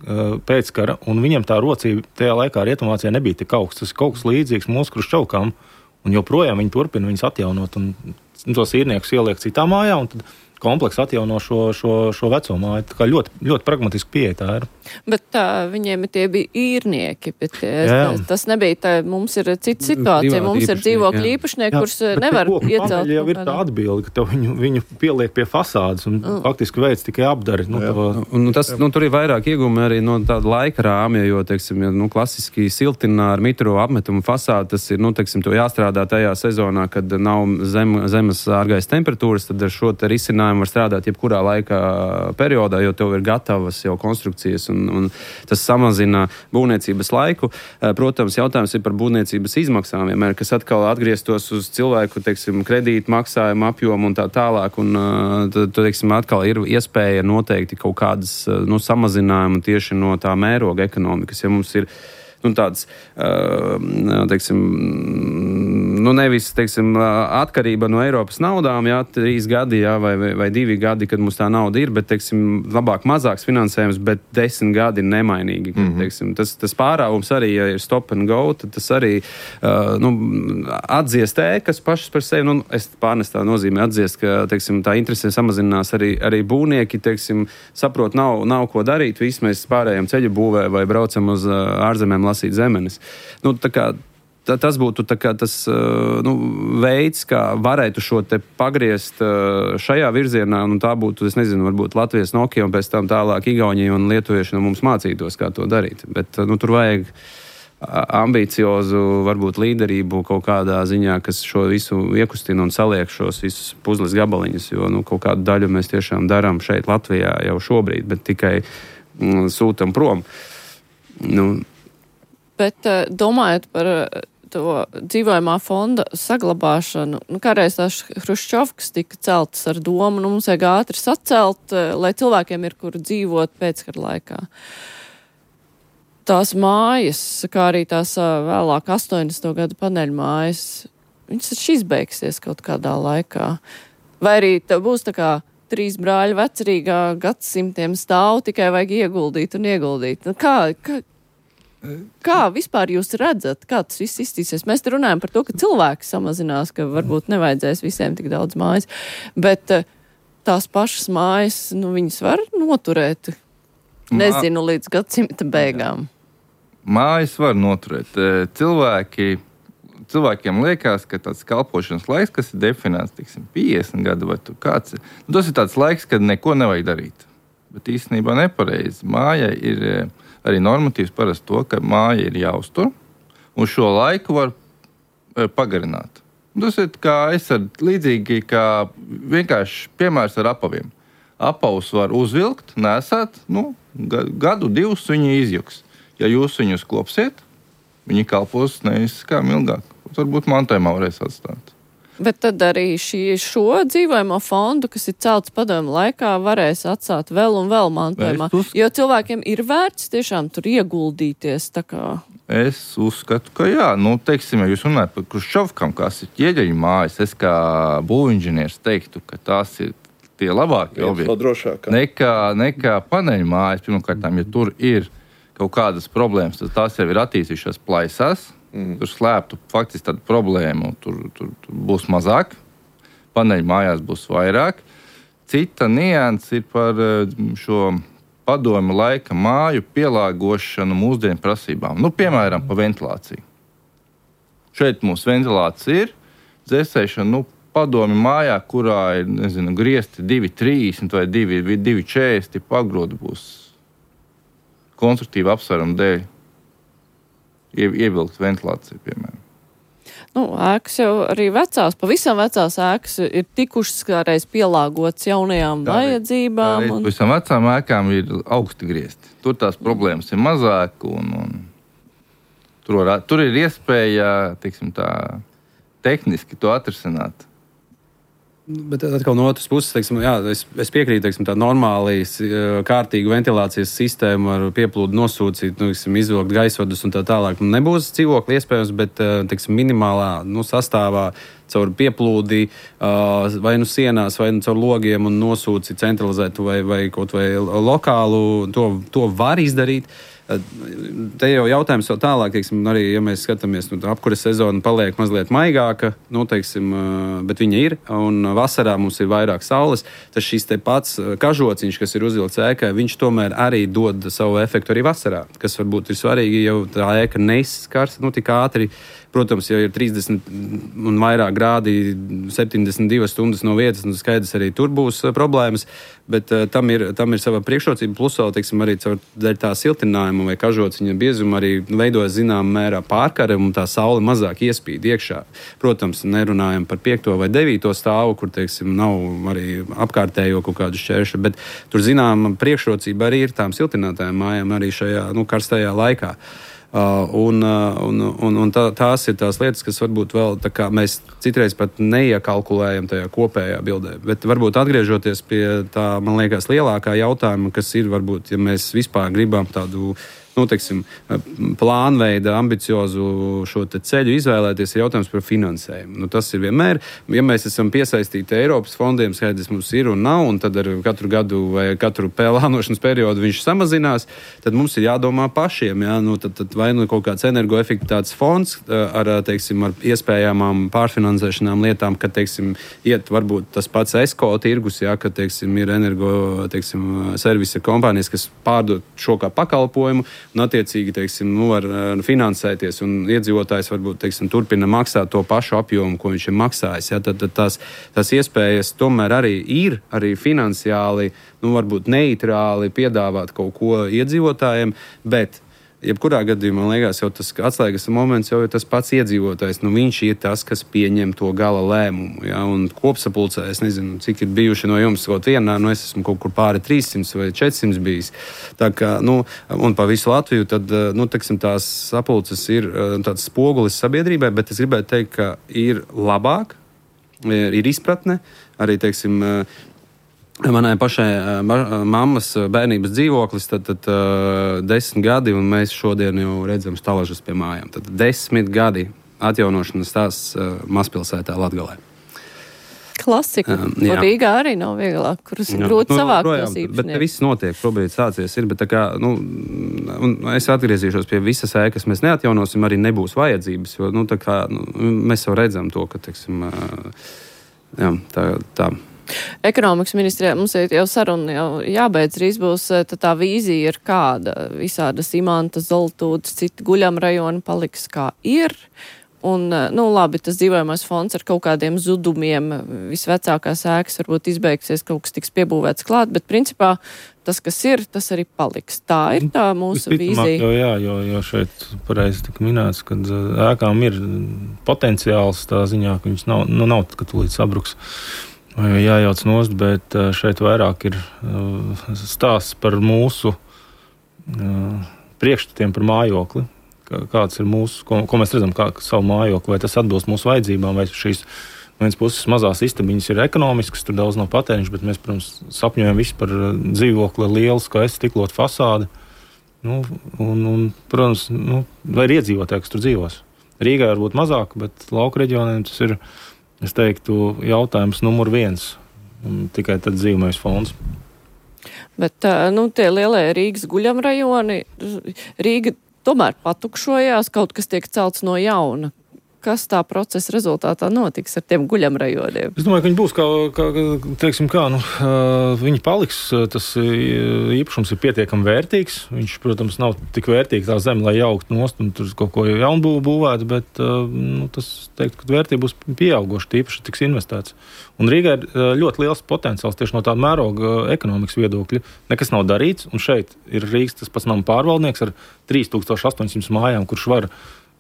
pēckara, un viņam tā rocība tajā laikā Rietumvācijā nebija tik augsts. Tas ir kaut kas līdzīgs mūsu Kruščovkām, un joprojām viņi turpina viņus atjaunot, un tos īrniekus ieliek citā mājā, un tad komplekss atjauno šo, šo, šo veco māju. Tā kā ļoti, ļoti pragmatiski pieeja tā ir. Bet tā, viņiem tie bija īrnieki, bet tas, tas nebija tā, mums ir cita situācija, mums ir dzīvokļu īpašnieki, kurus nevar iecelt. Jau ir tā atbilde, ka tev viņu, viņu pieliek pie fasādes un mm. faktiski veids tikai apdari. Nu, tā, un, tas, nu, tur ir vairāk iegumi arī no tāda laika rāmja, jo, teiksim, ja, nu, klasiski siltina ar mitro apmetumu fasādi, tas ir, nu, teiksim, to jāstrādā tajā sezonā, kad nav zem, zemes ārgais temperatūras, tad ar šo te risinājumu var strādāt jebkurā laika periodā, jo tev ir gatavas jau konstrukcijas un, un tas samazina būvniecības laiku. Protams, jautājums ir par būvniecības izmaksām, vienmēr, kas atkal atgrieztos uz cilvēku, teiksim, kredītu maksājumu apjomu un tā tālāk, un tad, teiksim, atkal ir iespēja noteikti kaut kādas, nu, samazinājumu tieši no tā mēroga ekonomikas, ja mums ir nu, tāds, teiksim, nu, nevis, teiksim, atkarība no Eiropas naudām, jā, trīs gadi, jā, vai, vai, vai divi gadi, kad mums tā nauda ir, bet, teiksim, labāk mazāks finansējums, bet desmit gadi nemainīgi. Mm-hmm. Teiksim, tas, tas pārāvums arī, ja ir stop and go, tad tas arī, uh, nu, atdziest ēkas pašas par sevi, nu, es pārnestā nozīmē atdziest, ka, teiksim, tā interese samazinās arī, arī būvnieki, teiksim, saprot, nav, nav ko darīt, visi mēs pārējām ceļu būvē vai braucam uz uh, ārzemēm lasīt zemenes. Nu, tā kā tas būtu tā kā tas nu, veids, kā varētu šo te pagriezt šajā virzienā, un tā būtu, es nezinu, varbūt Latvijas Nokia un pēc tam tālāk Igaunija un lietuvieši no mums mācītos, kā to darīt. Bet nu, tur vajag ambiciozu, varbūt līderību kaut kādā ziņā, kas šo visu iekustina un saliek šos visus puzles gabaliņus, jo nu, kaut kādu daļu mēs tiešām darām šeit Latvijā jau šobrīd, bet tikai mm, sūtam prom. Nu, Bet domājot par to dzīvojamā fonda saglabāšanu, nu, kādreiz tās Hruščovkas tika celtas ar domu, nu, mums vajag ātri sacelt, lai cilvēkiem ir, kur dzīvot pēckara laikā. Tās mājas, kā arī tās vēlāk astoņdesmito gadu paneļu mājas, viņas taču izbeigsies kaut kādā laikā. Vai arī tā būs tā kā trīs brāļu vecerīgā gadsimtiem stāv, tikai vajag ieguldīt un ieguldīt. Nu, kā, kā, kā vispār jūs redzat, kā tas viss iztīsies? Mēs te runājam par to, ka cilvēki samazinās, ka varbūt nevajadzēs visiem tik daudz mājas, bet tās pašas mājas, nu, viņas var noturēt, nezinu, līdz gadsimta beigām. Mājas var noturēt. Cilvēki, cilvēkiem liekas, ka tāds kalpošanas laiks, kas ir definēts, tiksim, piecdesmit gadu vai kāds, tas ir tāds laiks, kad neko nevajag darīt. Bet īstenībā nepareizi. Māja ir arī normatīvs parasti to, ka māja ir jāuztur, un šo laiku var pagarināt. Tas ir kā es ar līdzīgi, kā vienkārši piemērs ar apaviem. Apavus var uzvilkt, nesāt, nu, gadu, divus viņi izjuks. Ja jūs viņus klopsiet, viņi kalpos neizskām ilgāk. Varbūt mantojumā varēs atstāt. Bet tad arī šī, šo dzīvojamo fondu, kas ir celts padomu laikā, varēs atstāt vēl un vēl mantojumā. Uz... Jo cilvēkiem ir vērts tiešām tur ieguldīties. Tā kā... Es uzskatu, ka jā. Nu, teiksim, ja jūs runājat par Hruščovkām, kas ir ķieģeļu mājas, es kā būvinženieris teiktu, ka tās ir tie labākie objekti. Nekā, nekā paneļu mājas, pirmkārtām, ja tur ir kaut kādas problēmas, tad tās jau ir attīstījušās plaisās. Mm. Tur slēptu faktiski tādu problēmu, tur, tur, tur būs mazāk, paneļu mājās būs vairāk. Cita nianses ir par šo padomu laika māju pielāgošanu mūsdienu prasībām. Nu, piemēram, pa ventilāciju. Šeit mums ventilācija ir, dzēsēšana, nu, padomi mājā, kurā ir, nezinu, griezti divi trīsdesmit vai divi četrdesmit, pagrodu būs konstruktīva apsvēruma dēļ ievilkt ventilāciju, piemēram. Nu, ēkas jau arī vecās, pavisam vecās ēkas ir tikušas kādreiz pielāgotas jaunajām tā vajadzībām. Un... Pavisam vecām ēkām ir augsti griezti. Tur tās problēmas ir mazāk un, un tur, var, tur ir iespēja, teiksim tā, tehniski to atrisināt. Bet atkal no otras puses, teiksim, jā, es, es piekrītu, teiksim, tā normāli kārtīgu ventilācijas sistēmu ar pieplūdu nosūcīt, nu, teiksim, izvilkt gaisvadus un tā tālāk. Nebūs dzīvokli iespējams, bet, teiksim, minimālā nu, sastāvā caur pieplūdi vai nu sienās, vai nu caur logiem un nosūci centralizētu vai, vai kaut vai lokālu, to, to var izdarīt. Te jau jautājums vēl tālāk, teiksim, arī, ja mēs skatāmies, nu, apkures sezona paliek mazliet maigāka, nu, teiksim, bet viņa ir, un vasarā mums ir vairāk saules, tas šis te pats kažociņš, kas ir uzvilkts ēkai, viņš tomēr arī dod savu efektu arī vasarā, kas varbūt ir svarīgi, jo tā ēka neizskars, nu, tik ātri. Protams, ja ir trīsdesmit un vairāk grādi, septiņdesmit divas stundas no vietas, nu, skaidrs arī tur būs problēmas, bet uh, tam, ir, tam ir sava priekšrocība, plus vēl, teiksim, arī caur dēļ tā siltinājuma vai kažociņa biezuma arī veidojas zinām mērā pārkare un tā saule mazāk iespīd iekšā. Protams, nerunājam par piekto vai devīto stāvu, kur, teiksim, nav arī apkārtējo kaut kādu šķēršu, bet tur zinām priekšrocība arī ir tām siltinātājām mājām arī šajā, nu, karstajā laikā. Uh, un, uh, un, un, un tā, tās ir tās lietas, kas varbūt vēl tā kā mēs citreiz pat neiekalkulējam tajā kopējā bildē. Bet varbūt atgriežoties pie tā, man liekas, lielākā jautājuma, kas ir varbūt, ja mēs vispār gribam tādu, nu, teiksim, plānveida, ambiciozu šo te ceļu izvēlēties, ir jautājums par finansējumu. Nu, tas ir vienmēr, ja mēs esam piesaistīti Eiropas fondiem, skaidrs mums ir un nav, un tad ar katru gadu vai katru plānošanas periodu viņš samazinās, tad mums ir jādomā pašiem, jā, nu, tad, tad vai nu kaut kāds energoefektivitātes fonds ar, teiksim, ar iespējamām pārfinansēšanām lietām, kad, teiksim, iet varbūt tas pats ESCO tirgus, jā, kad, teiksim, ir energo, teiksim, servisa kompānijas, kas pārdod šo kā pakalpojumu, un attiecīgi, teiksim, nu, var finansēties, un iedzīvotājs varbūt, teiksim, turpina maksāt to pašu apjomu, ko viņš ir maksājis. Ja? Tad, tad tās, tās iespējas tomēr arī ir, arī finansiāli, nu, varbūt neitrāli piedāvāt kaut ko iedzīvotājiem, bet jebkurā gadījumā, man liekas, jau tas atslēgas moments jau ir tas pats iedzīvotājs. Nu, viņš ir tas, kas pieņem to gala lēmumu. Ja? Un kopsapulcē, es nezinu, cik ir bijuši no jums kaut vienā, nu es esmu kaut kur pāri trīssimts vai četrsimts bijis. Tā kā, nu, un pa visu Latviju, tad, nu, teiksim, tās sapulces ir tāds spogulis sabiedrībai, bet es gribētu teikt, ka ir labāk, ir izpratne, arī, teiksim, manai pašai mammas bērnības dzīvoklis, tad, tad uh, desmit gadi, un mēs šodien jau redzam stalažas pie mājām. Tad desmit gadi atjaunošanas tās uh, mazpilsētā Latgalē. Klasika. Um, Rīgā arī nav vieglāk, kuras ir grūti nu, savākt tos īpašniekus. Bet viss notiek, šobrīd sācies ir, bet tā kā, nu, es atgriezīšos pie visas ēkas, mēs neatjaunosim, arī nebūs vajadzības, jo, nu, tā kā, nu, mēs jau redzam to, ka, teiksim, uh, jā, tā, tā. Ekonomikas ministrijā mums ir jau saruna jau jābeidz, drīz būs tā, tā vīzija ir kāda, visādas Imanta, Zoltūdas, citi guļamrajoni paliks kā ir, un, nu labi, tas dzīvojamais fonds ar kaut kādiem zudumiem, visvecākās ēkas varbūt izbeigsies, kaut kas tiks piebūvēts klāt, bet principā tas, kas ir, tas arī paliks. Tā ir tā mūsu vīzija. Jo, jā, jo, jo šeit pareizi tika minēts, ka ēkām ir potenciāls tā ziņā, ka viņas nav, nu nav, ka tūlīt sabruks. Vai jājauc nost, bet šeit vairāk ir stāsts par mūsu priekšstatiem par mājokli. Kāds ir mūsu, ko, ko mēs redzam, kā savu mājokli, vai tas atbilst mūsu vajadzībām, vai šīs viens puses mazās istabiņas ir ekonomiskas, tur daudz nav patēriņš, bet mēs, protams, sapņojam visu par dzīvokli, lielu, skaistu stiklot fasādi. Nu, un, un, protams, nu, vai ir iedzīvotāji, kas tur dzīvos. Rīgā varbūt mazāk, bet lauku reģioniem tas ir, es teiktu, jautājums numur viens. Un tikai tad dzīvmais fonds. Bet, nu, tie lielie Rīgas guļamrajoni, Rīga tomēr patukšojās, kaut kas tiek celts no jauna. Kas tā procesa rezultātā notiks ar tiem guļamrajoniem? Es domāju, ka viņi būs kā, kā teiksim kā, nu, viņi paliks, tas īpašums ir pietiekami vērtīgs. Viņš, protams, nav tik vērtīgs tā zeme, lai jauktu nost un tur kaut ko jaunu būvētu, bet, nu, tas, teikt, ka vērtība būs pieaugoša, tīpaši tiks investēts. Un Rīgā ir ļoti liels potenciāls tieši no tāda mēroga ekonomikas viedokļa. Nekas nav darīts, un šeit ir Rīgas tas pats nama pārvaldnieks ar trīs tūkstoši astoņsimt mājām, kurš var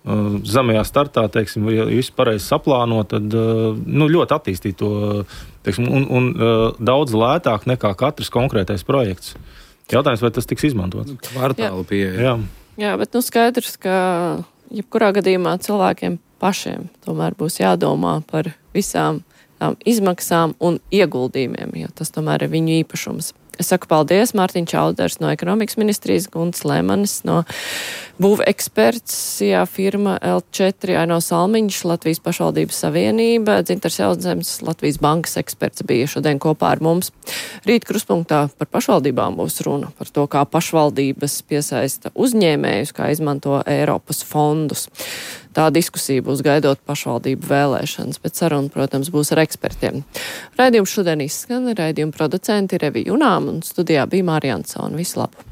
zemajā startā, teiksim, ja visu pareizi saplāno, tad, nu, ļoti attīstīt to, teiksim, un, un daudz lētāk nekā katrs konkrētais projekts. Jautājums, vai tas tiks izmantots? Kvartālu pieeja. Jā. Jā, bet, nu, skaidrs, ka jebkurā gadījumā cilvēkiem pašiem tomēr būs jādomā par visām tām izmaksām un ieguldījumiem, jo tas tomēr ir viņu īpašums. Es saku paldies, Mārtiņš Čauders no Ekonomikas ministrijas, Gunts Lemanis no būva eksperts, jā, firma L četri, Aino Salmiņš, Latvijas pašvaldības savienība, Dzintars Jaunzems, Latvijas bankas eksperts bija šodien kopā ar mums. Rīt kruspunktā par pašvaldībām būs runa, par to, kā pašvaldības piesaista uzņēmējus, kā izmanto Eiropas fondus. Tā diskusija būs gaidot pašvaldību vēlēšanas, bet saruna, protams, būs ar ekspertiem. Raidījums šodien izskan, raidījuma producenti Revi Junām un studijā bija Mārija Ansone. Visu labu!